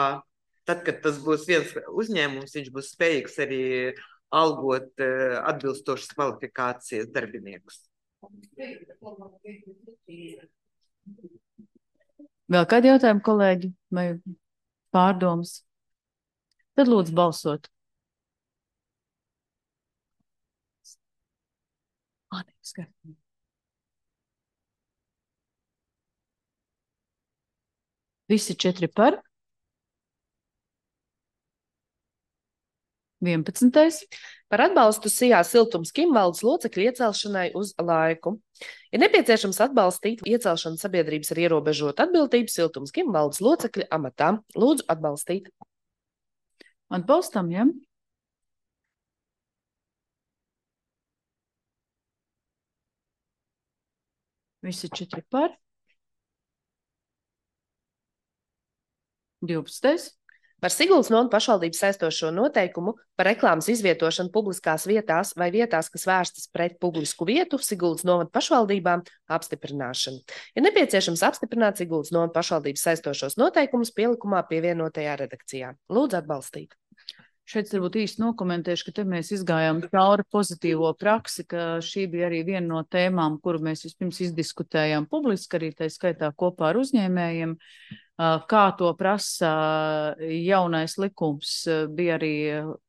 [SPEAKER 7] tad, kad tas būs viens uzņēmums, viņš būs spējīgs arī algot atbilstošas kvalifikācijas darbiniekus.
[SPEAKER 1] Vēl kādi jautājumi, kolēģi, vai pārdomas? Tad lūdzu balsot. Ā, neskaidrs. Visi četri par. vienpadsmitais.
[SPEAKER 2] Par atbalstu Sijā siltums Kim valdes locekļu iecelšanai uz laiku. Ir nepieciešams atbalstīt iecelšanu sabiedrības ar ierobežotu atbildību siltums Kim valdes locekļu amatā. Lūdzu atbalstīt.
[SPEAKER 1] Atbalstam, ja? Visi četri par. divpadsmitais.
[SPEAKER 2] Par Siguldas novada pašvaldības saistošo noteikumu par reklāmas izvietošanu publiskās vietās vai vietās, kas vērstas pret publisku vietu Siguldas novada pašvaldībām apstiprināšanu. Ir nepieciešams apstiprināt Siguldas novada pašvaldības saistošos noteikumus pielikumā pievienotajā redakcijā. Lūdzu atbalstīt.
[SPEAKER 1] Šeit varbūt īsti nokomentēšu, ka te mēs izgājām cauri pozitīvo praksi, ka šī bija arī viena no tēmām, kuru mēs vispirms izdiskutējām publiski, arī tā skaitā kopā ar uzņēmējiem. Kā to prasa jaunais likums, bija arī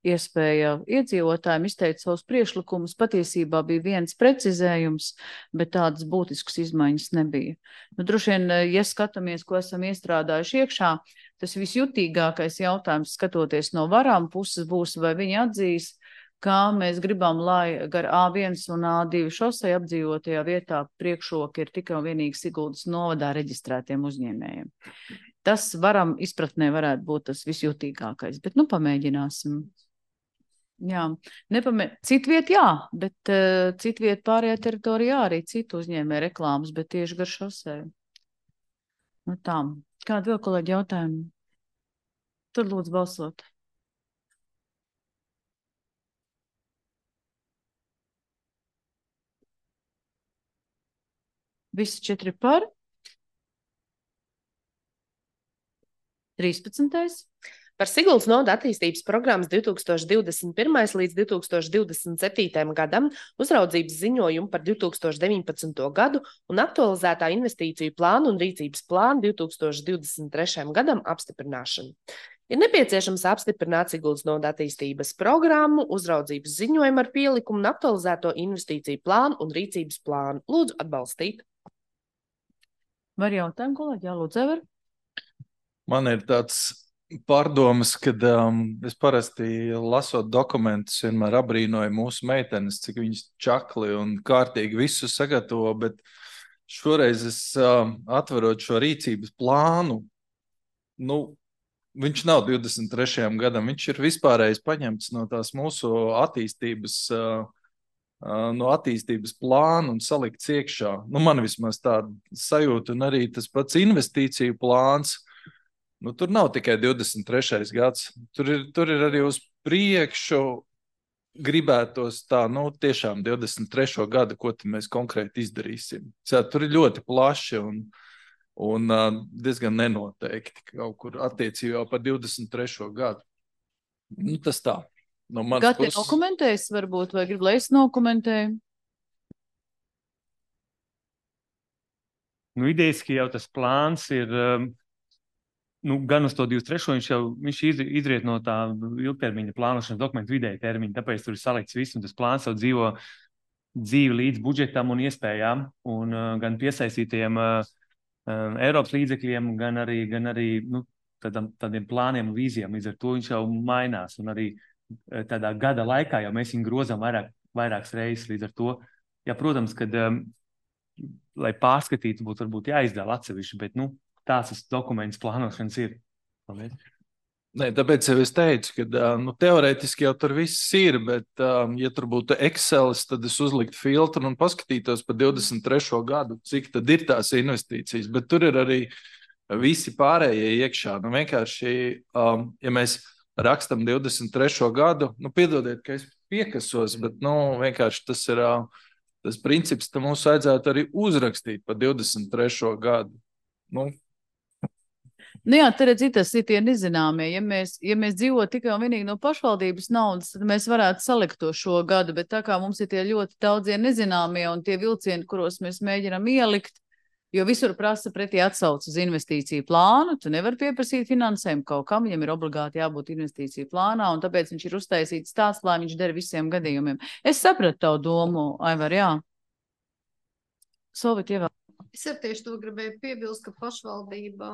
[SPEAKER 1] iespēja iedzīvotājiem izteikt savus priekšlikumus. Patiesībā bija viens precizējums, bet tādas būtiskas izmaiņas nebija. Nu, droši vien, ja skatāmies, ko esam iestrādājuši iekšā, tas visjutīgākais jautājums, skatoties no varām puses, būs, vai viņi atzīs, kā mēs gribam, lai gar A viens un A divi šosei apdzīvotajā vietā priekšroka ir tikai un vienīgi Siguldas novadā reģistrētiem uzņēmējiem. Tas varam izpratnē varētu būt tas visjutīgākais, bet nu pamēģināsim. Jā, nepamē... Citviet jā, bet uh, citviet pārējā teritorijā arī citu uzņēmēju reklāmas, bet tieši gar šosei. Nu tā, kādi vēl kolēģi jautājumi? Tad lūdzu balsot. Visi četri par. trīspadsmitais.
[SPEAKER 2] Par Siguldas novada attīstības programmas divi tūkstoši divdesmit pirmais līdz divi tūkstoši divdesmit septītajam gadam uzraudzības ziņojumu par divi tūkstoši deviņpadsmito gadu un aktualizētā investīciju plānu un rīcības plānu divi tūkstoši divdesmit trešajam gadam apstiprināšanu. Ir nepieciešams apstiprināt Siguldas novada attīstības programmu, uzraudzības ziņojumu ar pielikumu un aktualizēto investīciju plānu un rīcības plānu. Lūdzu atbalstīt.
[SPEAKER 1] Var jautājumu, kolēģi? Jā, lūdzu, Ever.
[SPEAKER 9] Man ir tāds pārdomas, kad um, es parasti lasot dokumentus vienmēr abrīnoju mūsu meitenes, cik viņas čakli un kārtīgi visu sagatavo, bet šoreiz es um, atverot šo rīcības plānu, nu, viņš nav divdesmit trešajam gadam, viņš ir vispārējais paņemts no tās mūsu attīstības uh, no attīstības plāna un salikts iekšā. Nu, man vismaz tāda sajūta, un arī tas pats investīciju plāns. Nu, tur nav tikai divdesmit trešais gads. Tur ir, tur ir arī uz priekšu gribētos tā, nu, tiešām divdesmit trešo gadu, ko tad mēs konkrēti izdarīsim. Cā, tur ir ļoti plaši un, un diezgan nenoteikti kaut kur attiecībā par divdesmit trešo gadu. Nu, tas tā. No
[SPEAKER 1] Gati puses... dokumentēs varbūt, vai grib, lai es nokomentēju?
[SPEAKER 12] Nu, idejiski jau tas plāns ir, nu, gan uz to divdesmit trešo viņš jau, viņš izriet no tā ilgtermiņa plānošanas dokumentu vidēja termiņa, tāpēc tur ir salikts viss, un tas plāns jau dzīvo dzīvi līdz budžetam un iespējām, un uh, gan piesaistītiem uh, uh, Eiropas līdzekļiem, gan arī, gan arī nu, tādam, tādiem plāniem un vīzijām. Līdz ar to viņš jau mainās, un arī tādā gada laikā jau mēs viņu grozām vairāk, vairākas reizes. Līdz ar to, ja, protams, kad, um, lai pārskatītu, būtu varbūt jāizdala atsevišķi, bet, nu, tās tas dokuments plānošanas ir. Paldies.
[SPEAKER 9] Nē, tāpēc jau es teicu, ka nu, teorētiski jau tur viss ir, bet, um, ja tur būtu Excelis, tad es uzliktu filtru un paskatītos par divdesmit trešo gadu, cik tad ir tās investīcijas. Bet tur ir arī visi pārējie iekšā. Nu, vienkārši, um, ja mēs rakstam divdesmit trešo gadu, nu, piedodiet, ka es piekasos, bet, nu, vienkārši tas ir uh, tas princips, ka mums vajadzētu arī uzrakstīt par divdesmit trešo gadu. Nu,
[SPEAKER 1] Nu jā, te redz, tas ir tie nezināmie. Ja mēs, ja mēs dzīvotu tikai un vienīgi no pašvaldības naudas, tad mēs varētu salikt to šo gadu, bet tā kā mums ir tie ļoti daudzie nezināmie un tie vilcieni, kuros mēs mēģinām ielikt, jo visur prasa pretī atsauc uz investīciju plānu, tu nevar pieprasīt finansējumu kaut kam, viņam ir obligāti jābūt investīciju plānā, un tāpēc viņš ir uztaisīts tāds, lai viņš der visiem gadījumiem. Es sapratu tavu domu, Aivar, jā. Solvit, ievēl.
[SPEAKER 8] Es ar tieši to gribēju piebilst, ka pašvaldībā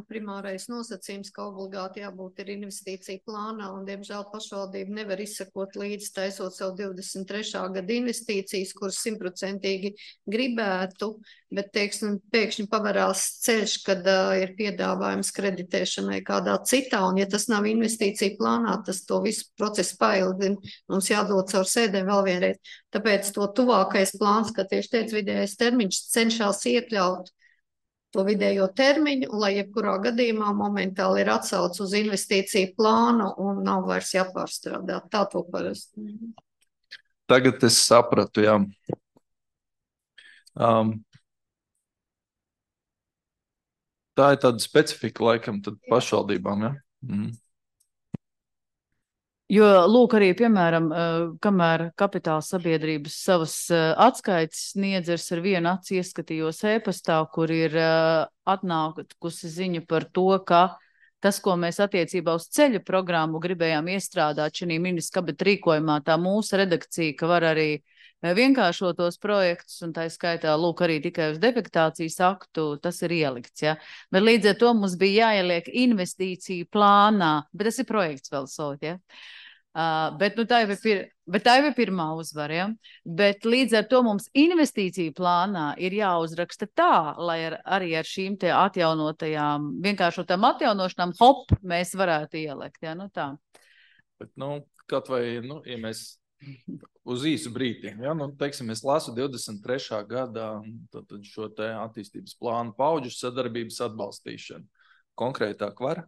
[SPEAKER 8] primārais nosacījums, ka obligāti jābūt ir investīcija plānā, un, diemžēl, pašvaldība nevar izsekot līdz taisot savu divdesmit trešā gada investīcijas, kuras simtprocentīgi gribētu, bet, teiksim, pēkšņi pavarās ceļš, kad uh, ir piedāvājums kreditēšanai kādā citā, un ja tas nav investīcija plānā, tas to visu procesu paildina, mums jādod caur sēdēm vēl vienreiz. Tāpēc to tuvākais plāns, kā tieši teica, vidējais termiņš cenšas iekļaut to vidējo termiņu, un lai jebkurā gadījumā momentāli ir atsauc uz investīciju plānu un nav vairs jāpārstrādā. Tā to parasti.
[SPEAKER 9] Tagad es sapratu, jā. Um, tā ir tāda specifika laikam tad pašvaldībām, jā? Mm.
[SPEAKER 1] Jo, lūk, arī, piemēram, kamēr kapitāla sabiedrības savas atskaites sniedz, es ar vienu aci ieskatījos e-pastā, kur ir atnākusi ziņa par to, ka tas, ko mēs attiecībā uz ceļu programmu gribējām iestrādāt šī ministra kabineta rīkojumā, tā mūsu redakcija, ka var arī vienkāršot tos projektus, un tā skaitā, lūk, arī tikai uz defektācijas aktu, tas ir ielikts, ja. Bet līdz ar to mums bija jāieliek investīciju plānā, bet tas ir projekts vēl sot, ja. Uh, bet, nu, tā jau ir, pir, bet tā jau ir pirmā uzvara, ja? Bet līdz ar to mums investīciju plānā ir jāuzraksta tā, lai ar, arī ar šīm te atjaunotajām, vienkāršotām atjaunošanām, hop, mēs varētu ielikt, ja? Nu, tā.
[SPEAKER 9] Bet, nu, kaut vai, nu, ja mēs uz īsu brīdi, ja? Nu, teiksim, es lasu divdesmit trešā gadā tad šo te attīstības plānu paudžu sadarbības atbalstīšanu. Konkrētāk var?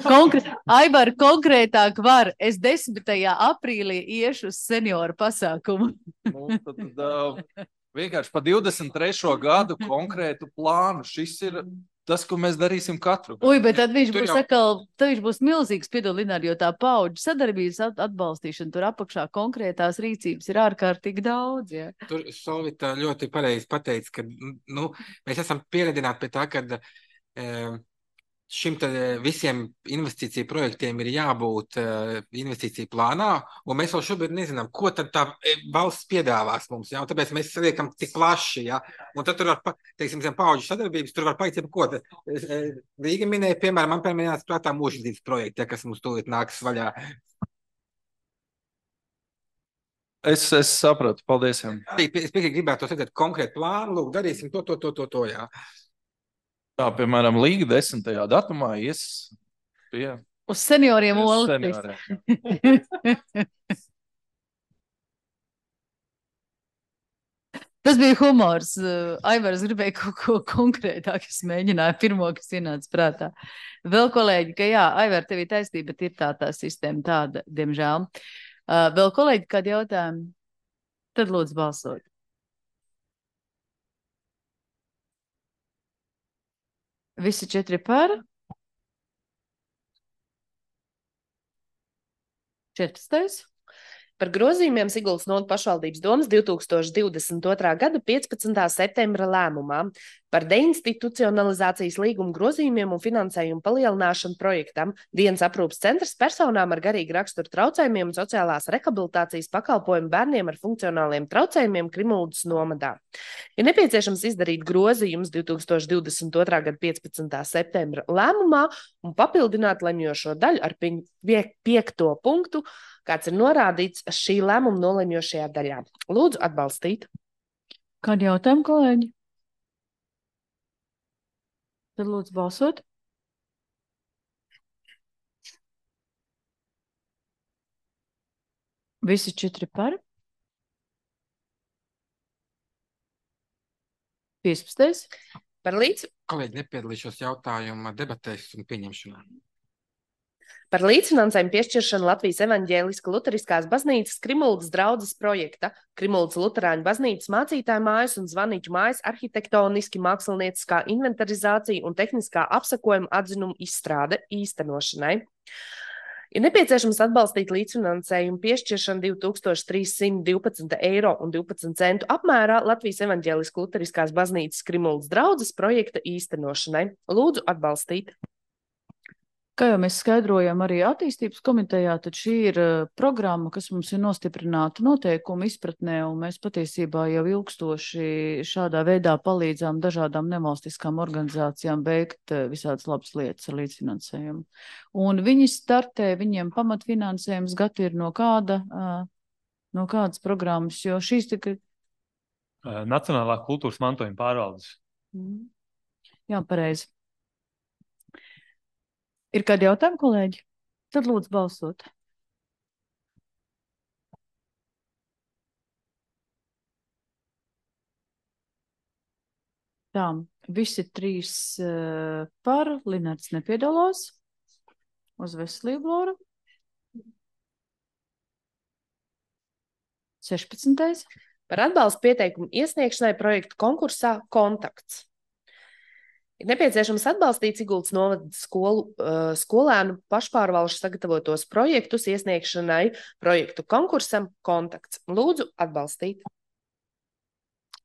[SPEAKER 1] Konkr... Aivar, konkrētāk var. Es desmitajā aprīlī iešu uz senioru pasākumu.
[SPEAKER 9] Nu, tad, tad, uh, vienkārši pa divdesmit trešo gadu konkrētu plānu. Šis ir tas, ko mēs darīsim katru.
[SPEAKER 1] Ui, bet tad viņš
[SPEAKER 9] Tur
[SPEAKER 1] būs
[SPEAKER 9] jau...
[SPEAKER 1] atkal, tad viņš būs milzīgs piedalināri, jo tā paudžu sadarbības atbalstīšana, tur apakšā konkrētās rīcības ir ārkārtīgi daudz. Ja.
[SPEAKER 4] Tur Solvita ļoti pareizi pateica, ka, nu, mēs esam pieredināti pie tā, ka uh, šim tad visiem investīciju projektiem ir jābūt uh, investīciju plānā, un mēs vēl šobrīd nezinām, ko tad tā valsts piedāvās mums, ja, un tāpēc mēs saliekam tik plaši, ja, un tad tur var, teiksim, zem paudžu sadarbības, tur var paiet, ko tad, Rīga minēja, piemēram, man piemēram prātā mūžības projekti, ja, kas mums tūlīt nāks vaļā.
[SPEAKER 9] Es, es sapratu, paldies jums.
[SPEAKER 4] Es piekrīt gribētu to redzēt konkrētu plānu, lūk, darīsim to, to, to, to, to, jā.
[SPEAKER 9] Tā, piemēram, Līga desmitajā datumā ies pie...
[SPEAKER 1] Uz senioriem olas. Tas bija humors. Aivars gribēja kaut ko konkrētāk, es mēģināju pirmo, kas ienāca prātā. Vēl kolēģi, ka jā, Aivar, tev ir taisnība, bet ir tā tā sistēma tāda, diemžēl. Uh, vēl kolēģi, kādi jautājumi? Tad lūdzu balsot. Visi četri par? četrpadsmitais.
[SPEAKER 2] Par grozījumiem Siguldas novads pašvaldības domas divi tūkstoši divdesmit otrā gada piecpadsmitā septembra lēmumā par deinstitucionalizācijas līguma grozījumiem un finansējumu palielināšanu projektam dienas aprūpes centrs personām ar garīgu raksturu traucējumiem un sociālās rehabilitācijas pakalpojumu bērniem ar funkcionāliem traucējumiem Krimuldas nomadā. Ir nepieciešams izdarīt grozījumus divi tūkstoši divdesmit otrā gada piecpadsmitā septembra lēmumā un papildināt lemjošo daļu ar piekto punktu, kāds ir norādīts šī lēmuma nolemjošajā daļā. Lūdzu atbalstīt.
[SPEAKER 1] Kādi jautājumi, kolēģi? Tad lūdzu balsot. Visi četri par. piecpadsmitais.
[SPEAKER 2] Par līdz...
[SPEAKER 4] Kolēģi, nepiedalīšos jautājuma debatēs un pieņemšanā.
[SPEAKER 2] Par līdzfinansējumu piešķiršanu Latvijas evaņģēliska luteriskās baznīcas Krimuldas draudzes projekta Krimuldas luterāņu baznīcas mācītāju mājas un zvaniķu mājas arhitektoniski mākslinieciskā inventarizācija un tehniskā apsakojuma atzinuma izstrāde īstenošanai. Ir nepieciešams atbalstīt līdzfinansējumu piešķiršanu divi tūkstoši trīs simti divpadsmit eiro un divpadsmit centu apmērā Latvijas evaņģēliska luteriskās baznīcas Krimuldas draudzes projekta īstenošanai. Lūdzu atbalstīt.
[SPEAKER 1] Kā jau mēs skaidrojam arī attīstības komitejā, tad šī ir uh, programma, kas mums ir nostiprināta noteikumu izpratnē, un mēs patiesībā jau ilgstoši šādā veidā palīdzām dažādām nevalstiskām organizācijām veikt uh, visādas labas lietas ar līdzfinansējumu. Un viņi startē, viņiem pamatfinansējums gati ir no kāda, uh, no kādas programmas, jo šīs tika...
[SPEAKER 12] Nacionālā kultūras mantojuma pārvaldes.
[SPEAKER 1] Mm. Jā, pareizi. Ir kādi jautājumi, kolēģi? Tad lūdzu balsot. Tā, visi trīs uh, par, Linards nepiedalās. Uz veselību, Lora. sešpadsmitais.
[SPEAKER 2] Par atbalstu pieteikumu iesniegšanai projektu konkursā Kontakts. Ir nepieciešams atbalstīt Siguldas novada skolu, uh, skolēnu pašpārvalšu sagatavotos projektus iesniegšanai projektu konkursam Kontakts. Lūdzu atbalstīt.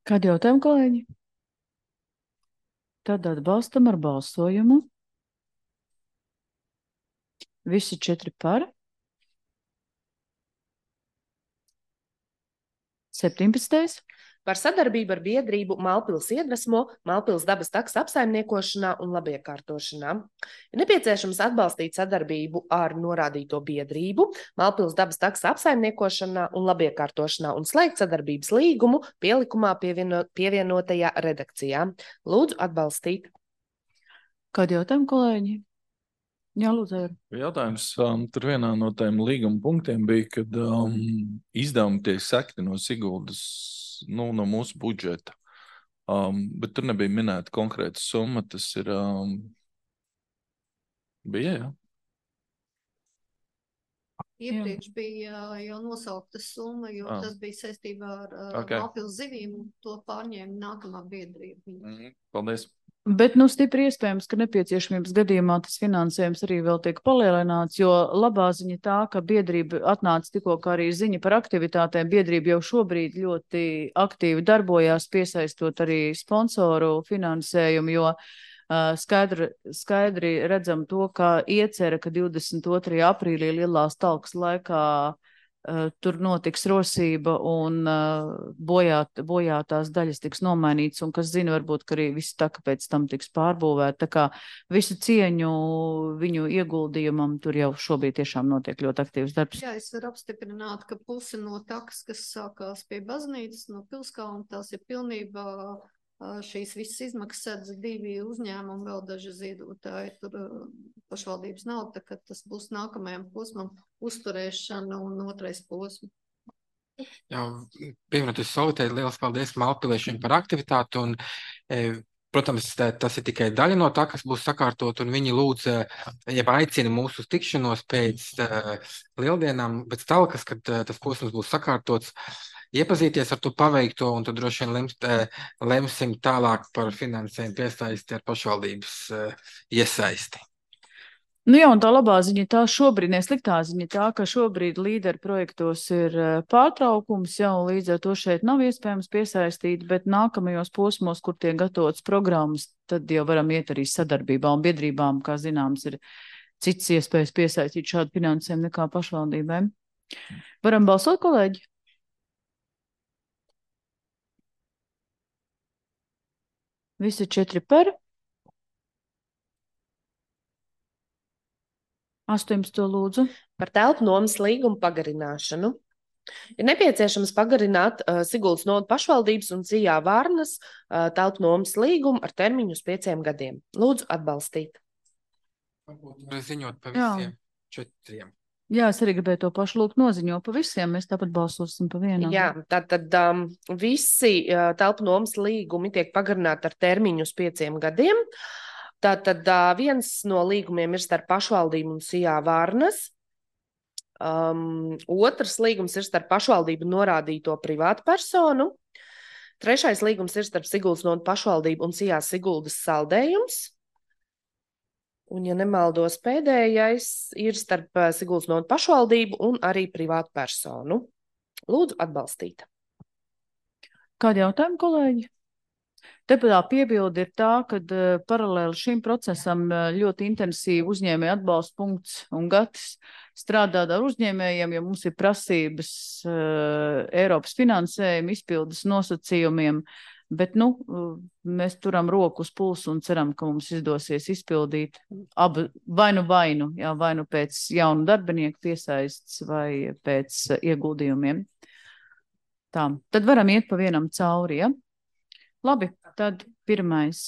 [SPEAKER 1] Kādi jautājumi, kolēģi? Tad atbalstam ar balsojumu. Visi četri par. septiņpadsmitais.
[SPEAKER 2] Par sadarbību ar biedrību Malpils iedvesmo, Malpils dabas taks apsaimniekošanā un labiekārtošanā. Ir nepieciešams atbalstīt sadarbību ar norādīto biedrību Malpils dabas taks apsaimniekošanā un labiekārtošanā un slēgt sadarbības līgumu pielikumā pievieno, pievienotajā redakcijā. Lūdzu atbalstīt.
[SPEAKER 1] Kādi jautājumi, kolēģi? Jā, lūdzu.
[SPEAKER 9] Jautājums um, tur vienā no tiem līguma punktiem bija, kad um, izdevumi tiek sekti no Siguldas, nu, no mūsu budžeta. Um, bet tur nebija minēta konkrēta summa, tas ir... Um, bija, jā?
[SPEAKER 13] Iepriekš bija jau nosaukta summa, jo ah. tas bija saistībā ar okay. Malpils zivīm, un to pārņēma nākamā biedrība.
[SPEAKER 9] Mm, paldies.
[SPEAKER 1] Bet, nu, stipri iespējams, ka nepieciešamības gadījumā tas finansējums arī vēl tiek palielināts, jo labā ziņa tā, ka biedrība atnāca tikko kā arī ziņa par aktivitātēm. Biedrība jau šobrīd ļoti aktīvi darbojās, piesaistot arī sponsoru finansējumu, jo uh, skaidri, skaidri redzam to, ka iecerē, ka divdesmit otrajā aprīlī lielās talkas laikā Uh, tur notiks rosība un uh, bojāt, bojātās daļas tiks nomainītas, un kas zina, varbūt, ka arī viss tā, ka pēc tam tiks pārbūvēt. Tā kā visu cieņu viņu ieguldījumam tur jau šobrīd tiešām notiek ļoti aktīvs darbs.
[SPEAKER 13] Jā, es varu apstiprināt, ka puse no takas, kas sākās pie baznīcas, no Pilskalna, tās ir pilnībā šīs visas izmaksas sedz divi uzņēmumi, vēl daži ziedotāji, tur pašvaldības nav, tā ka tas būs nākamajam posmam uzturēšana un otrais posms.
[SPEAKER 4] Jā, pievienoties Solitei, liels paldies Malpiliešiem par aktivitāti. Un, e, protams, tā, tas ir tikai daļa no tā, kas būs sakārtot, un viņi lūdz, jeb aicina mūsu uz tikšanos pēc uh, lieldienām, pēc talkas, kad uh, tas posms būs sakārtots, iepazīties ar to paveikto, un tad droši vien lems, uh, lemsim tālāk par finansējumu piesaisti ar pašvaldības uh, iesaisti.
[SPEAKER 1] Nu jā, un tā labā ziņa tā šobrīd, ne sliktā ziņa tā, ka šobrīd līderu projektos ir pārtraukums, jau līdz ar to šeit nav iespējams piesaistīt, bet nākamajos posmos, kur tiek gatavotas programmas, tad jau varam iet arī sadarbībā, un biedrībām, kā zināms, ir cits iespējas piesaistīt šādu finansējumu nekā pašvaldībēm. Varam balsot, kolēģi? Visi četri par. astoņpadsmit lūdzu.
[SPEAKER 2] Par telpu nomas līgumu pagarināšanu. Ir nepieciešams pagarināt uh, Siguldas novadas pašvaldības un Cijā Varnas uh, telpu nomas līgumu ar termiņu uz pieciem gadiem. Lūdzu atbalstīt.
[SPEAKER 4] Var ziņot pa visiem Jā. četriem.
[SPEAKER 1] Jā, es arī gribēju to pašu lūgt noziņo pa visiem, mēs tāpat balsosim pa vienam.
[SPEAKER 2] Jā, tātad um, visi uh, telpu nomas līgumi tiek pagarināti ar termiņu uz pieciem gadiem. Tātad uh, viens no līgumiem ir starp pašvaldību un Cijā Varnas. Um, otrs līgums ir starp pašvaldību norādīto privātu personu. Trešais līgums ir starp Siguldas novadas pašvaldību un Cijā Siguldas saldējums. Un, ja nemaldos, pēdējais ir starp Siguldas novadas pašvaldību un arī privātu personu. Lūdzu atbalstīt.
[SPEAKER 1] Kādi jautājumi, kolēģi? Deputā piebilde ir tā, ka uh, paralēli šim procesam uh, ļoti intensīvi uzņēmēja atbalsta punkts un gatis strādāt ar uzņēmējiem, jo mums ir prasības uh, Eiropas finansējuma izpildes nosacījumiem, bet nu, uh, mēs turam roku uz pulsu un ceram, ka mums izdosies izpildīt abu vainu vainu, jā, vainu pēc jaunu darbinieku piesaists vai pēc uh, ieguldījumiem. Tā, tad varam iet pa vienam cauri, ja? Labi, tad pirmais.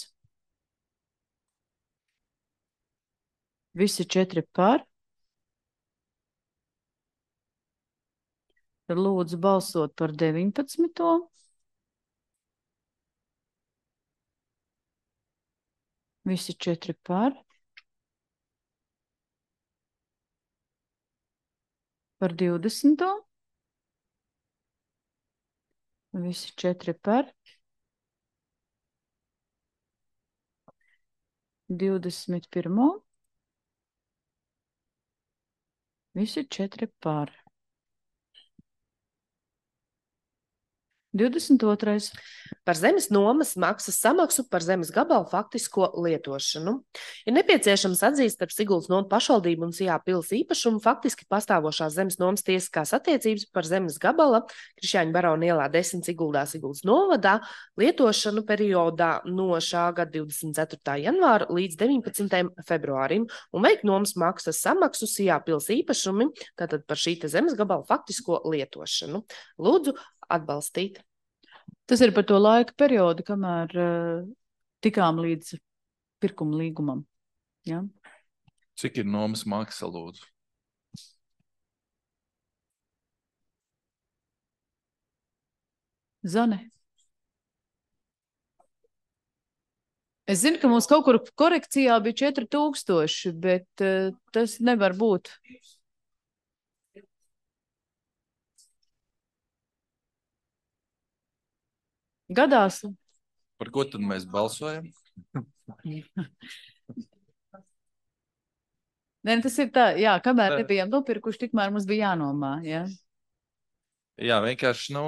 [SPEAKER 1] Visi četri par. Tad lūdzu balsot par deviņpadsmito. Visi četri par. Par divdesmito. Visi četri par. Divdesmit pirmo. Visi četri par. Divdesmit otrais.
[SPEAKER 2] Par zemes nomas maksas samaksu par zemes gabalu faktisko lietošanu. Ir nepieciešams atzīst starp Siguldas novadas pašvaldību un Cijā pils īpašumu faktiski pastāvošās zemes nomas tiesiskās attiecības par zemes gabala Krišjāņu Barona ielā desmit Siguldā Siguldas novadā lietošanu periodā no šā gada divdesmit ceturtā janvāra līdz deviņpadsmitajam februārim un veikt nomas maksas samaksu Cijā pils īpašumi, tātad par šī te zemes gabala faktisko lietošanu. Lūdzu atbalstīt.
[SPEAKER 1] Tas ir par to laika periodu, kamēr uh, tikām līdz pirkuma līgumam. Ja?
[SPEAKER 9] Cik ir nomas maksa, lūdzu?
[SPEAKER 1] Zane. Es zinu, ka mums kaut kur korekcijā bija četri tūkstoši, bet uh, tas nevar būt. Gadās.
[SPEAKER 9] Par ko tad mēs balsojam?
[SPEAKER 1] Nē, tas ir tā, jā, kamēr nebijām nopirkuši, tikmēr mums bija jānomā, jā.
[SPEAKER 9] Jā, vienkārši, nu...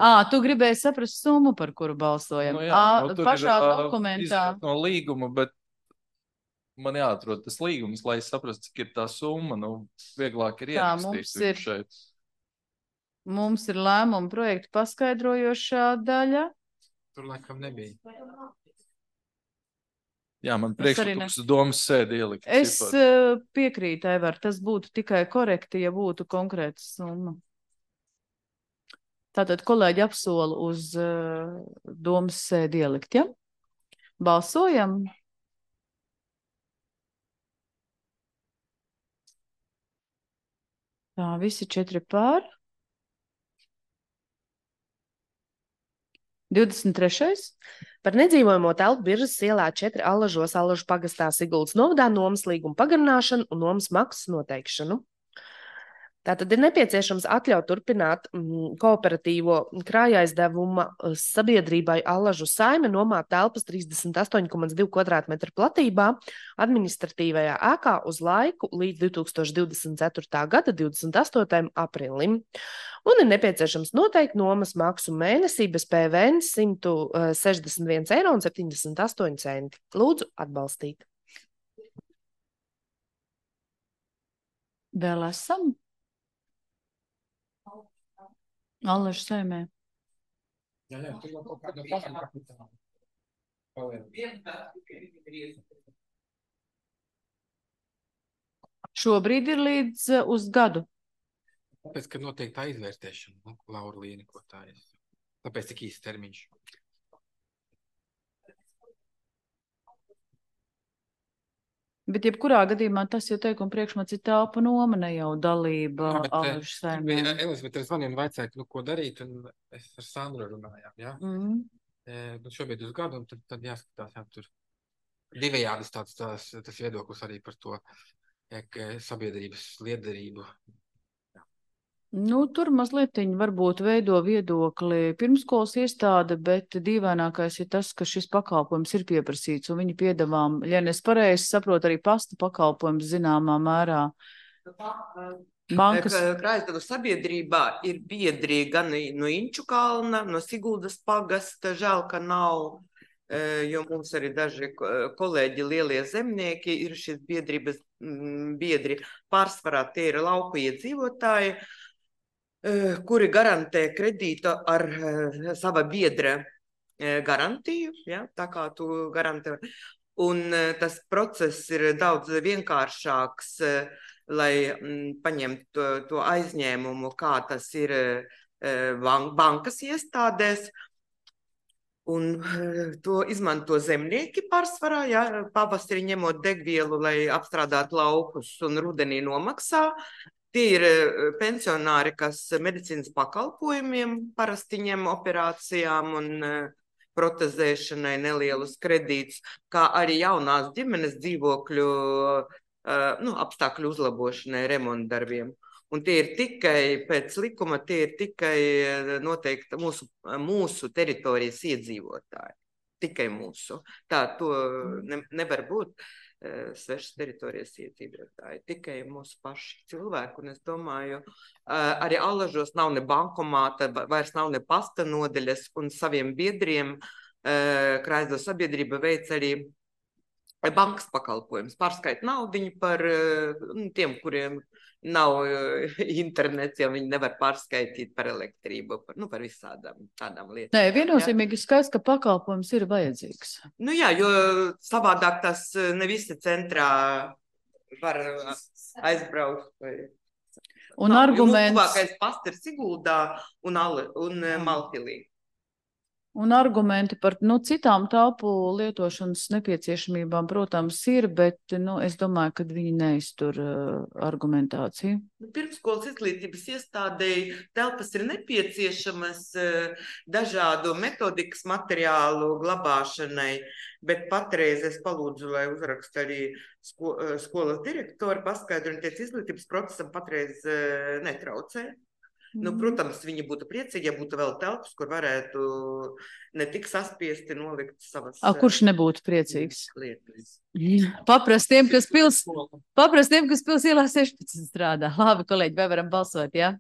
[SPEAKER 1] Ā, tu gribēji saprast summu, par kuru balsojam.
[SPEAKER 9] Nu, jā,
[SPEAKER 1] Ā,
[SPEAKER 9] nu, tur
[SPEAKER 1] pašā
[SPEAKER 9] ir,
[SPEAKER 1] dokumentā.
[SPEAKER 9] No līguma, bet man jāatrod tas līgums, lai es saprastu, cik ir tā summa, nu, vieglāk ir
[SPEAKER 1] Tā,
[SPEAKER 9] ierakstīt
[SPEAKER 1] mums ir,
[SPEAKER 9] šeit.
[SPEAKER 1] Mums ir lēmuma projekta paskaidrojošā daļa.
[SPEAKER 4] Tur laikam nebija.
[SPEAKER 9] Jā, man
[SPEAKER 1] Es arī
[SPEAKER 9] priekšlikums
[SPEAKER 1] ne-
[SPEAKER 9] domas sēdi ielikt.
[SPEAKER 1] Es
[SPEAKER 9] ciparu.
[SPEAKER 1] uh, piekrītu, Aivar, tas būtu tikai korekti, ja būtu konkrēta summa. Tātad kolēģi apsola uz uh, domas sēdi ielikt, ja? Balsojam. Tā, visi četri pār. divdesmit trešais
[SPEAKER 2] Par nedzīvojamo telpu Biržas ielā četri Allažos Allažu pagastā Siguldas novadā nomas līguma pagarināšanu un nomas maksas noteikšanu. Tātad ir nepieciešams atļaut turpināt mm, kooperatīvo krājaaizdevuma sabiedrībai Allažu saime nomāt telpas trīsdesmit astoņi komats divi kvadrātmetri platībā administratīvajā ēkā uz laiku līdz divi tūkstoši divdesmit ceturtā gada divdesmit astotajam aprīlim. Un ir nepieciešams noteikt nomas maksu mēnesī bez P V N simt sešdesmit viens eiro un septiņdesmit astoņi centi. Lūdzu atbalstīt.
[SPEAKER 1] vēl esam? Allažu saimē.
[SPEAKER 4] Jā, jā, tur jau kaut kāda paša kapitāla.
[SPEAKER 1] Šobrīd ir līdz uh, uz gadu.
[SPEAKER 4] Tāpēc, ka noteikti tā izvērtēšana, nu, Laura Līni, ko tā ir. Tāpēc tik īsts termiņš.
[SPEAKER 1] Bet jebkurā gadījumā tas jau teikuma priekšmats ir telpa noma, ne jau dalība
[SPEAKER 4] Jā, bet,
[SPEAKER 1] Allažu
[SPEAKER 4] eh,
[SPEAKER 1] saimē.
[SPEAKER 4] bija Elizabete ar zvaniem vajadzēja, nu, ko darīt, un es ar Sandru runājām, jā.
[SPEAKER 1] Mm.
[SPEAKER 4] Eh, Nu, šobrīd uz gadu, un tad, tad jāskatās, jā, tur divējādas tāds, tās, tas viedoklis arī par to eh, ka sabiedrības liederību.
[SPEAKER 1] Nu, tur mazlietiņ varbūt veido viedokli pirmskolas iestāde, bet dīvainākais ir tas, ka šis pakalpojums ir pieprasīts, un viņi piedāvām, ja es pareizi saprotu, arī pasta pakalpojums zināmā mērā. Bankas.
[SPEAKER 7] Krājaizdevuma sabiedrībā ir biedri gan no Inču kalna, no Siguldas pagasta, žēl, ka nav, eh, jo mums arī daži ko- kolēģi lielie zemnieki ir šīs biedrības mm, biedri. Pārsvarā tie ir lauku iedzīvotāji, eh, kuri garantē kredītu ar eh, sava biedra eh, garantiju, ja, tā kā tu garantē. Un eh, tas process ir daudz vienkāršāks, eh, lai mm, paņemtu to, to aizņēmumu, kā tas ir eh, ban- bankas iestādēs. Un eh, to izmanto zemnieki pārsvarā, ja, pavasarī ņemot degvielu, lai apstrādātu laukus un rudenī nomaksā. Tie ir eh, pensionāri, kas medicīnas pakalpojumiem parasti ņem operācijām un eh, protezēšanai nelielus kredītus, kā arī jaunās ģimenes dzīvokļu eh, nu, apstākļu uzlabošanai, remontdarbiem. Un tie ir tikai pēc likuma, tie ir tikai eh, noteikti mūsu, mūsu teritorijas iedzīvotāji. Tikai mūsu. Tā to ne, nevar būt eh, svešas teritorijas iedzīvotāji. Tikai mūsu paši cilvēki. Un es domāju, eh, arī Allažos nav ne bankomāta, va- vairs nav ne pasta nodeļas, un saviem biedriem eh, Krājaizdevuma sabiedrība veic arī bankas pakalpojums. Pārskait naudiņu par eh, nu, tiem, kuriem nav eh, internets, jo viņi nevar pārskaitīt par elektrību, par, nu, par visādām tādām lietām.
[SPEAKER 1] Nē,
[SPEAKER 7] jā.
[SPEAKER 1] viennozīmīgi skaidrs, ka pakalpojums ir vajadzīgs.
[SPEAKER 7] Nu jā, jo savādāk tas eh, ne visi centrā var eh, aizbraukt. Vai...
[SPEAKER 1] Un
[SPEAKER 7] Nav, jo
[SPEAKER 1] arguments-
[SPEAKER 7] mūsu tuvākais pasts ir Siguldā un, Ale- un eh, Maltilī.
[SPEAKER 1] Un argumenti par nu, citām telpu lietošanas nepieciešamībām, protams, ir, bet nu, es domāju, ka viņi neiztur uh, argumentāciju.
[SPEAKER 7] Pirmskolas izglītības iestādēji telpas ir nepieciešamas eh, dažādu metodikas materiālu glabāšanai, bet patreiz es palūdzu, lai uzraksta arī sko, eh, skolas direktori paskaidro, un tiec izglītības procesam patreiz eh, netraucē. Nu, protams, viņi būtu priecīgi, ja būtu vēl telpas, kur varētu ne tik saspiesti nolikt savas
[SPEAKER 1] A, kurš nebūtu priecīgs?
[SPEAKER 7] lietas.
[SPEAKER 1] Paprast tiem, kas pils, paprast tiem, kas pils ielā sešpadsmit strādā. Labi, kolēģi, vai varam balsot, jā?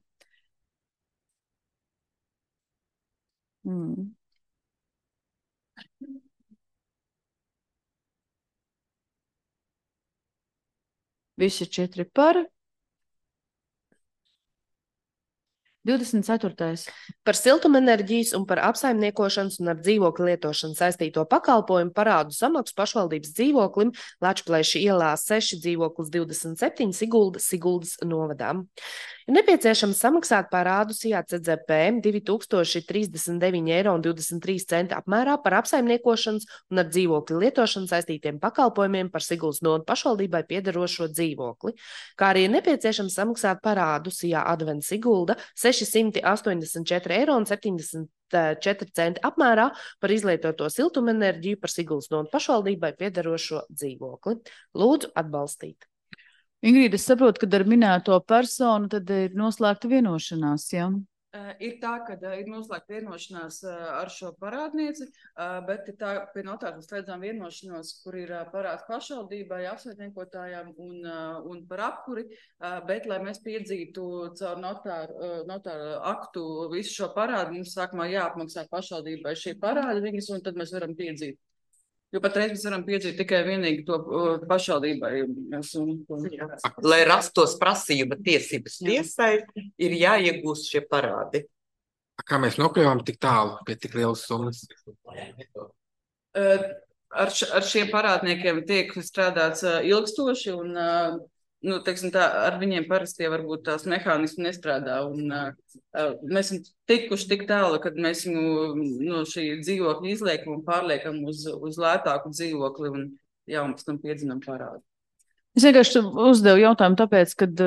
[SPEAKER 1] Mm. Visi četri par. divdesmit ceturtais
[SPEAKER 2] Par siltumenerģijas un par apsaimniekošanas un ar dzīvokli lietošanu saistīto pakalpojumu parādu samaksu pašvaldības dzīvoklim Lačplēša ielā seši dzīvoklis divdesmit septiņi Sigulda, Siguldas novadām. Ir nepieciešams samaksāt parādu S I A C Z P divi tūkstoši trīsdesmit deviņi eiro un divdesmit trīs centi apmērā par apsaimniekošanas un ar dzīvokļu lietošanu saistītiem pakalpojumiem par Siguldas novadas pašvaldībai piederošo dzīvokli, kā arī ir nepieciešams samaksāt parādu S I A Advent Sigulda sešsimt astoņdesmit četri eiro un septiņdesmit četri centi apmērā par izlietoto siltumenerģiju par Siguldas novadas pašvaldībai piederošo dzīvokli. Lūdzu atbalstīt.
[SPEAKER 1] Ingrīda, es saprotu, ka ar minēto personu tad ir noslēgta vienošanās, ja?
[SPEAKER 14] Uh, ir tā, ka uh, ir noslēgta vienošanās uh, ar šo parādnieci, uh, bet ir tā, pie notāra mēs slēdzām vienošanos, kur ir uh, parāds pašvaldībai, apsaimniekotājām un, uh, un par apkuri, uh, bet, lai mēs piedzītu caur notāru, uh, notāru aktu visu šo parādu, mums sākumā jāapmaksā pašvaldībai šie parādi viņas, un tad mēs varam piedzīt. Jo patreiz mēs varam piedzīt tikai vienīgi to uh, pašvaldībai. Un, un...
[SPEAKER 7] Lai rastos prasība tiesības tiesai, ir jāiegūst šie parādi.
[SPEAKER 4] Kā mēs nokļuvām tik tālu pie tik lielas summas?
[SPEAKER 14] Uh, ar, š, ar šiem parādniekiem tiek strādāts uh, ilgstoši un uh, nu, teiksim, tā, ar viņiem parasti varbūt tās mehānismi nestrādā. Un, uh, mēs esam tikuši tik tālu, kad mēs viņu no šī dzīvokļa izliekam un pārliekam uz, uz lētāku dzīvokli un, jā, un pēc tam piedzinam parādu.
[SPEAKER 1] Es vienkārši uzdevu jautājumu tāpēc, kad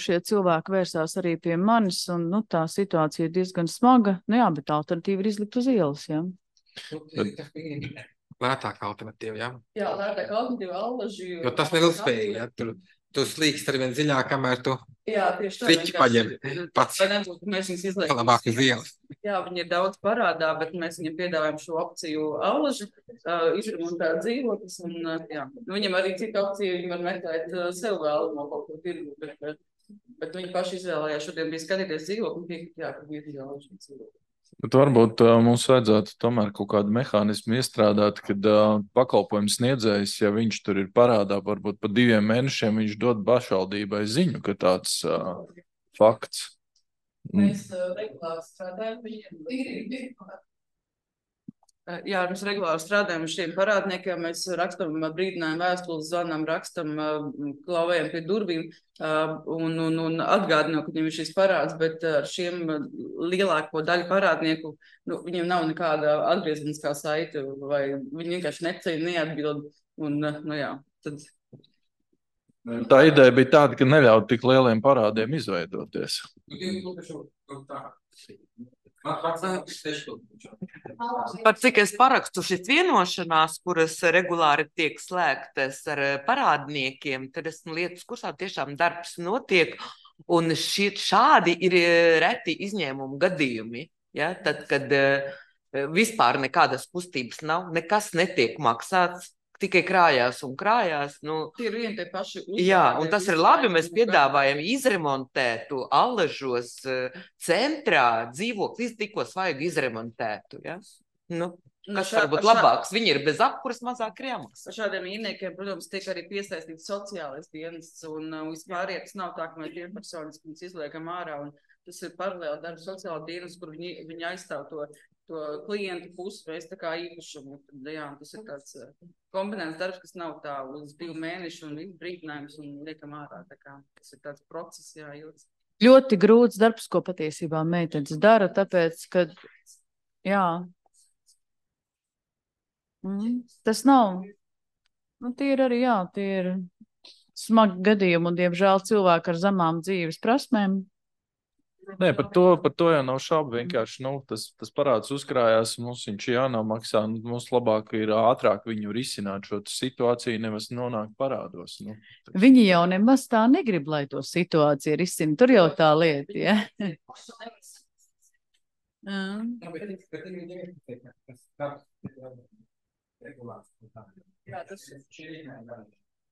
[SPEAKER 1] šie cilvēki vērsās arī pie manis un nu, tā situācija ir diezgan smaga. Nu jā, bet alternatīva ir izlikt uz ielas, jā.
[SPEAKER 4] Lētāka alternatīva, jā?
[SPEAKER 14] Jā, lētāka alternatīva, allaži.
[SPEAKER 4] Jo tas nav ilgspējīgi, jā, tur. Tu slīkst ar vien dziļāk, kamēr tu triķi paņem pats.
[SPEAKER 14] Mēs viņus izliekam.
[SPEAKER 4] Labāk uz ielas.
[SPEAKER 14] Jā, viņi ir daudz parādā, bet mēs viņam piedāvājam šo opciju allaži, uh, izremontēt dzīvoklis. Un, uh, jā. Viņam arī cita opcija, viņi var meklēt uh, sev vēlamo kaut ko tirgu, bet, bet, bet viņi paši izvēlējās. Šodien bija skatīties dzīvokli un piekrit, jā, ka bija jālaži dzīvokli.
[SPEAKER 9] Bet varbūt uh, mums vajadzētu tomēr kaut kādu mehānismu iestrādāt, kad uh, pakalpojums sniedzējs, ja viņš tur ir parādā, varbūt pa diviem mēnešiem viņš dod pašvaldībai ziņu, ka tāds uh, fakts.
[SPEAKER 14] Mēs uh, regulāri strādājam viņiem. Jā, mēs regulāri strādājam ar šiem parādniekiem, mēs rakstam brīdinājumu vēstules, zvanām, rakstam, klauvējam pie durvīm un, un, un atgādinām, ka viņiem ir šis parāds, bet ar šiem lielāko daļu parādnieku, nu, viņiem nav nekāda atgriezeniskā saite, vai viņi vienkārši neceļ, neatbild, un, nu jā, tad...
[SPEAKER 9] Tā ideja bija tāda, ka neļaut tik lieliem parādiem izveidoties.
[SPEAKER 7] Par cik es parakstu šis vienošanās, kuras regulāri tiek slēgtas ar parādniekiem, tad esmu lietas kursā tiešām darbs notiek, un šie, šādi ir reti izņēmumu gadījumi, ja? Tad, kad vispār nekādas kustības nav, nekas netiek maksāts, tikai krājās un krājās. Nu,
[SPEAKER 14] tie ir vieni tie paši uzdevumi.
[SPEAKER 7] Jā, un tas ir labi, mēs piedāvājam izremontētu allažos centrā dzīvokli, tikko svaigu izremontētu. Ja? Nu, kas šā, varbūt šā... labāks? Viņi ir bez apkuras, mazāk ir jāmaksā.
[SPEAKER 14] Šādiem īrniekiem, protams, tiek arī piesaistīts sociālais dienests, un uh, vispār tas nav tā, ka mēs vienpersonis, ka mēs izliekam ārā, un tas ir paralēli darba sociāla dienas, kur viņi, viņi aizstāv to, to klientu pusi, mēs tā kā īpašumu. Tad, jā, tas ir tāds uh, kombinēts darbs, kas nav tā uz divu mēnešu un brīdinājums un liekam ārā. Tā kā tas ir tāds process, jā, jūtas.
[SPEAKER 1] Ļoti grūts darbs, ko patiesībā meitenes dara, tāpēc, ka, jā, mm, tas nav, nu, tie ir arī, jā, tie ir smagi gadījumi un, diemžēl, cilvēki ar zemām dzīves prasmēm.
[SPEAKER 9] Nē, par to, par to jau nav šaubu. Vienkārši nu, tas, tas parāds uzkrājās, mums viņš jānomaksā. Mums labāk ir ātrāk viņu risināt šo situāciju, nevis nonākt parādos. Nu.
[SPEAKER 1] Viņi jau nemaz tā negrib, lai to situāciju risina. Tur jau tā lieta, ja?
[SPEAKER 14] Jā, tas ir.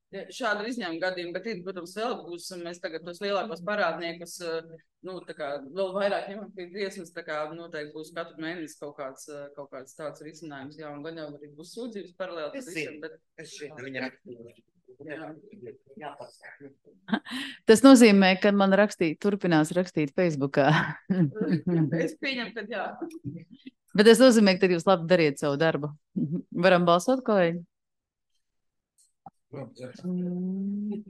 [SPEAKER 14] Šādi ir izņēmuma gadījumi, bet, protams, vēl būs, mēs tagad tos lielākos parādniekus, nu, tā kā, vēl vairāk ņemam pie tiesmas, tā kā noteikti būs katru mēnesi kaut kāds, kaut kāds tāds risinājums, jā, un gan jau arī būs sūdzības paralēli.
[SPEAKER 7] Es zinu, bet es šeit viņa rakstīju.
[SPEAKER 1] Tas nozīmē, ka man rakstīt, turpinās rakstīt Facebookā.
[SPEAKER 14] Es pieņemu, ka jā.
[SPEAKER 1] Bet tas nozīmē, ka tad jūs labi dariet savu darbu. Varam balsot, kolēģi? Mm.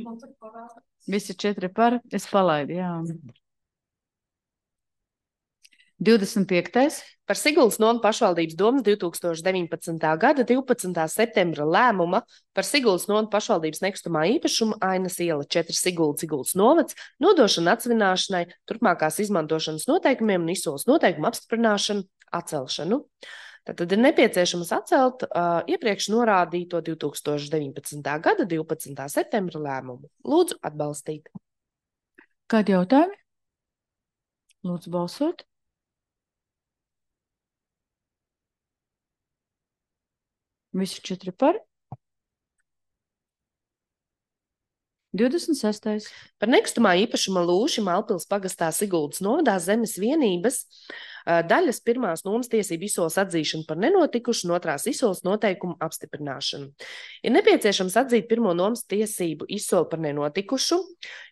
[SPEAKER 1] Visi četri par, es palaidu, jā. divdesmit piektais
[SPEAKER 2] Par Siguldas nomu pašvaldības domas divtūkstoš deviņpadsmitā gada divpadsmitā septembra lēmuma par Siguldas nomu pašvaldības nekustamā īpašuma Ainas iela četri Sigulda Siguldas novads nodošanu atsevināšanai, turpmākās izmantošanas noteikumiem un izsoles noteikumu apstiprināšanu, atcelšanu. Tad ir nepieciešams atcelt uh, iepriekš norādīto divtūkstoš deviņpadsmitā gada divpadsmitā septembra lēmumu. Lūdzu atbalstīt.
[SPEAKER 1] Kādi jautājumi? Lūdzu balsot. Visi četri par. divdesmit sestais
[SPEAKER 2] Par nekustamā īpašuma lūši Malpils pagastā Siguldas novadā zemes vienības daļas pirmās nomas tiesību izsoles atzīšanu par nenotikušu un otrās izsoles noteikumu apstiprināšanu. Ir nepieciešams atzīt pirmo nomas tiesību izsoli par nenotikušu,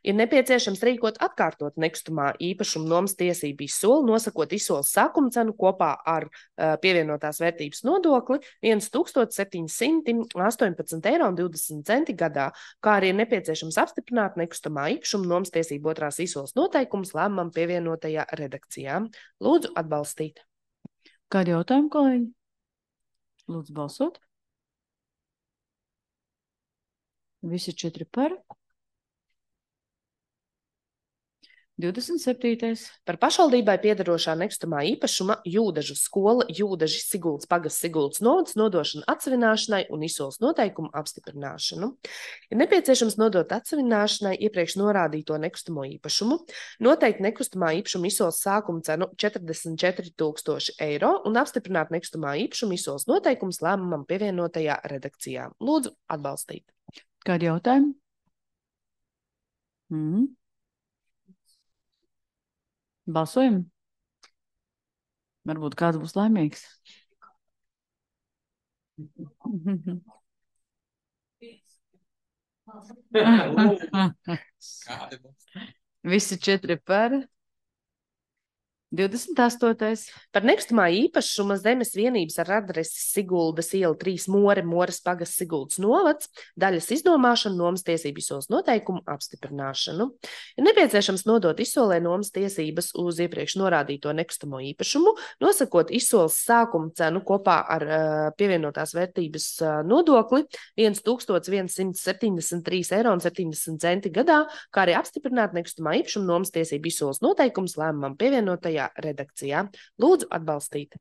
[SPEAKER 2] ir nepieciešams rīkot atkārtot nekustamā īpašuma nomas tiesību izsoli, nosakot izsoles sākuma cenu kopā ar uh, pievienotās vērtības nodokli viens tūkstoš septiņi simti astoņpadsmit eiro un divdesmit centi gadā, kā arī ir nepieciešams apstiprināt nekustamā īpašuma nomas tiesību otrās izsoles noteikumus lēmumam pievienotajā redakcijā. Lūdzu atbalstīt.
[SPEAKER 1] Kādi jautājumi, kolēģi? Lūdzu balsot. Visi četri par. divdesmit septītais
[SPEAKER 2] Par pašvaldībai piederošā nekustamā īpašuma Jūdažu skola Jūdaži Siguldas pagasts Siguldas novads nodošanu atsevināšanai un izsoles noteikumu apstiprināšanu. Ir nepieciešams nodot atsevināšanai iepriekš norādīto nekustamo īpašumu, noteikt nekustamā īpašuma izsoles sākuma cenu četrdesmit četri tūkstoši eiro un apstiprināt nekustamā īpašuma izsoles noteikumus lēmumam pievienotajā redakcijā. Lūdzu atbalstīt.
[SPEAKER 1] Kādi jautājumi? Mm. Balsojam. Varbūt kāds būs laimīgs. Visi četri par. divdesmit astotais
[SPEAKER 2] Par nekustamā īpašuma zemes vienības ar adresi Siguldas iela trīs More, Mores pagasts Siguldas novads, daļas iznomāšanu, nomas tiesību izsoles noteikumu apstiprināšanu. Ir nepieciešams nodot izsolē nomas tiesības uz iepriekš norādīto nekustamo īpašumu, nosakot izsoles sākuma cenu kopā ar uh, pievienotās vērtības uh, nodokli viens tūkstoš viens septiņdesmit trīs eiro un septiņdesmit centi gadā, kā arī apstiprināt nekustamā īpašuma nomas tiesību izsoles noteikumus lēmumam pievienotajā redakcijā. Lūdzu atbalstīt.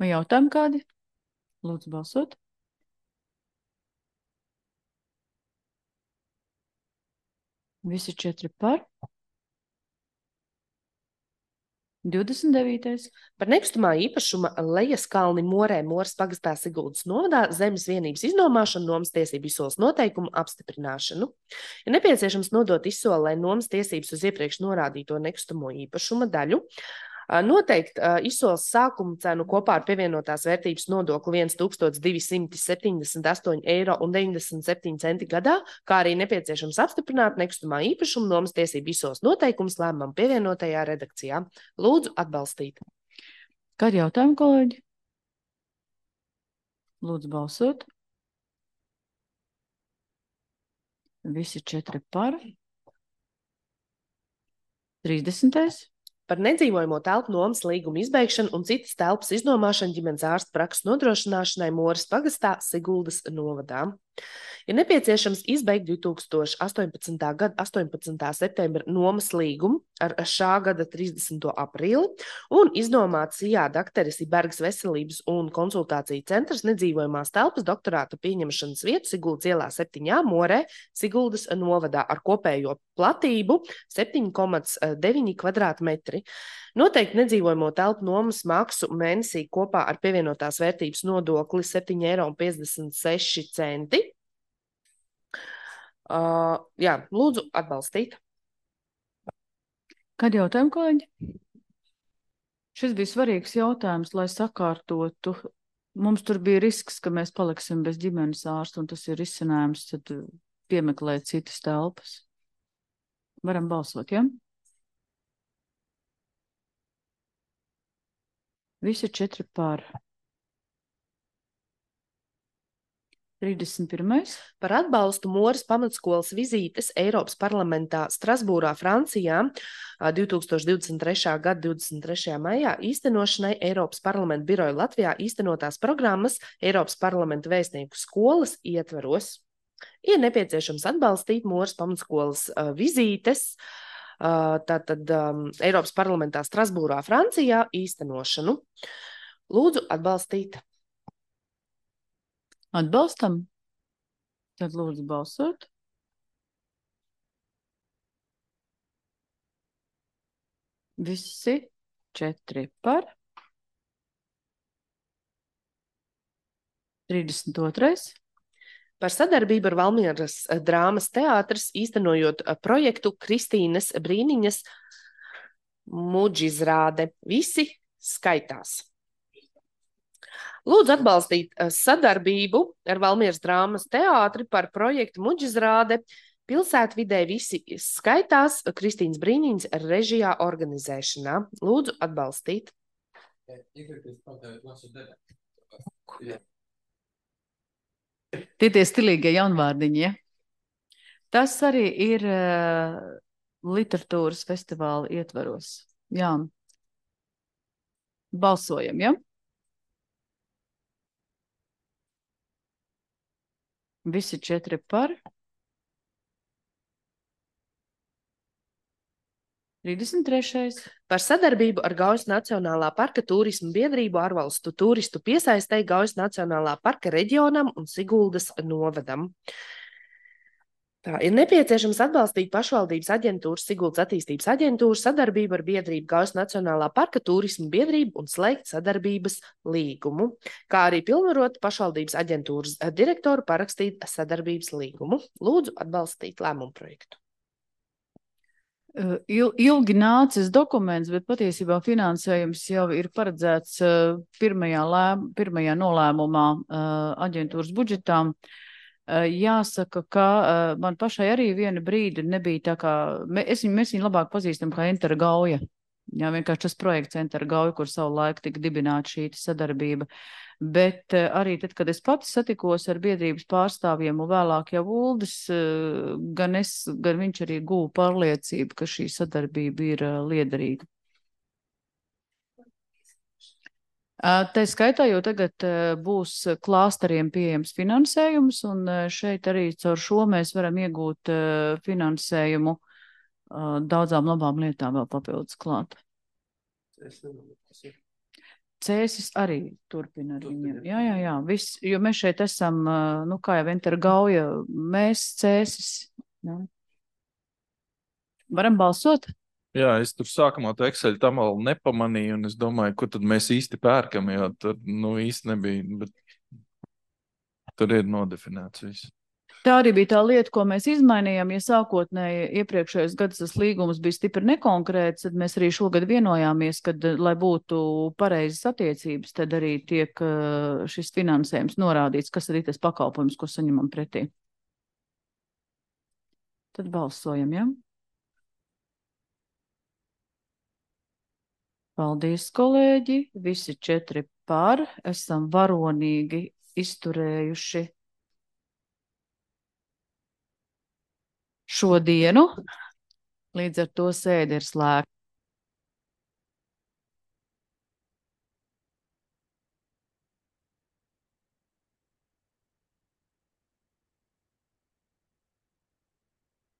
[SPEAKER 1] Vai jautājumi kādi? Lūdzu balsot. Visi četri par. divdesmit devītais
[SPEAKER 2] Par nekustamā īpašuma Lejas kalni Morē, Mores pagastā Siguldas novadā zemes vienības iznomāšanu, nomas tiesību izsoles noteikumu apstiprināšanu. Ir nepieciešams nodot izsolē nomas tiesības uz iepriekš norādīto nekustamo īpašuma daļu, noteikt uh, izsoles sākuma cenu kopā ar pievienotās vērtības nodokli viens tūkstoš divi simti septiņdesmit astoņi eiro un deviņdesmit septiņi centi gadā, kā arī nepieciešams apstiprināt nekustamā īpašuma nomas tiesību izsoles noteikumus lēmumam pievienotajā redakcijā. Lūdzu atbalstīt.
[SPEAKER 1] Kādi jautājumi, kolēģi? Lūdzu balsot. Visi četri par. trīsdesmitais
[SPEAKER 2] Par nedzīvojamo telpu nomas līguma izbeigšanu un citas telpas iznomāšanu ģimenes ārsta prakses nodrošināšanai Mores pagastā Siguldas novadā. Ir nepieciešams izbeigt divtūkstoš astoņpadsmitā gada astoņpadsmitā septembra nomas līgumu ar šā gada trīsdesmito aprīli un iznomāt Sijā dakteris Ibergas veselības un konsultāciju centrs nedzīvojamās telpas doktorāta pieņemšanas vietu Siguldas ielā septiņā Morē, Siguldas novadā ar kopējo platību septiņi komats deviņi kvadrātmetri. Noteikti nedzīvojamo telpu nomas maksu mēnesī kopā ar pievienotās vērtības nodokli septiņi eiro un piecdesmit seši centi. Uh, jā, lūdzu atbalstīt.
[SPEAKER 1] Kādi jautājumi, kolēģi? Šis bija svarīgs jautājums, lai sakārtotu. Mums tur bija risks, ka mēs paliksim bez ģimenes ārsta, un tas ir risinājums, tad piemeklēt citas telpas. Varam balsot, ja? Visi četri par. trīsdesmit pirmais
[SPEAKER 2] Par atbalstu Moras pamatskolas vizītes Eiropas parlamentā Strasbūrā, Francijā divtūkstoš divdesmit trešā gada divdesmit trešajā maijā īstenošanai Eiropas parlamenta biroja Latvijā īstenotās programmas Eiropas parlamenta vēstnieku skolas ietvaros. Ir nepieciešams atbalstīt Moras pamatskolas uh, vizītes uh, tātad um, Eiropas parlamentā Strasbūrā, Francijā īstenošanu. Lūdzu atbalstīt.
[SPEAKER 1] Atbalstam. Tad lūdzu balsot. Visi četri par. trīsdesmit otrais
[SPEAKER 2] Par sadarbību ar Valmieras drāmas teātris īstenojot projektu Kristīnes Brīniņas muģizrāde. Visi skaitās. Lūdzu atbalstīt sadarbību ar Valmieras drāmas teātri par projektu muģizrāde pilsētvidē visi skaitās Kristīnas Brīniņas režijā organizēšanā. Lūdzu atbalstīt.
[SPEAKER 1] Tie tie stilīgie jaunvārdiņi, ja? Tas arī ir uh, literatūras festivāla ietvaros. Jā. Balsojam, ja? Visi četri par. trīsdesmit trešais
[SPEAKER 2] Par sadarbību ar Gaujas Nacionālā parka turismu biedrību ārvalstu turistu piesaistei Gaujas Nacionālā parka reģionam un Siguldas novadam. Tā ir nepieciešams atbalstīt pašvaldības aģentūras, Siguldas attīstības aģentūras sadarbību ar biedrību Gaujas Nacionālā parka turismu biedrību un slēgt sadarbības līgumu, kā arī pilnvarot pašvaldības aģentūras direktoru parakstīt sadarbības līgumu. Lūdzu atbalstīt lēmumu projektu.
[SPEAKER 1] Il, ilgi nācis dokuments, bet patiesībā finansējums jau ir paredzēts pirmajā, lēm, pirmajā nolēmumā aģentūras budžetām. Jāsaka, ka man pašai arī viena brīdi nebija tā kā, es viņu, mēs viņu labāk pazīstam kā Entera Gauja. Jā, vienkārši tas projekts Entera Gauja, kur savu laiku tika dibināta šī sadarbība. Bet arī tad, kad es pati satikos ar biedrības pārstāvjiem un vēlāk jau Uldis, gan es, gan viņš arī guva pārliecību, ka šī sadarbība ir liederīga. Tā skaitā jau tagad būs klāsteriem pieejams finansējums, un šeit arī caur šo mēs varam iegūt finansējumu daudzām labām lietām vēl papildus klāt. Cēsis arī turpina ar viņiem. Jā, jā, jā. Viss, jo mēs šeit esam, nu kā jau Entera Gauja, mēs Cēsis. Jā. Varam balsot?
[SPEAKER 9] Jā, es tur sākumā to Excel tam vēl nepamanīju, un es domāju, ko tad mēs īsti pērkam, jo tur, nu, īsti nebija, bet tur ir nodefinēts viss.
[SPEAKER 1] Tā arī bija tā lieta, ko mēs izmainījām, ja sākotnēji iepriekšējos gados tas līgums bija stipri nekonkrēts, tad mēs arī šogad vienojāmies, kad, lai būtu pareizas attiecības, tad arī tiek šis finansējums norādīts, kas arī tas pakalpojums, ko saņemam pretī. Tad balsojam, ja? Paldies, kolēģi! Visi četri par, esam varonīgi izturējuši šodienu. Līdz ar to sēde ir slēgta.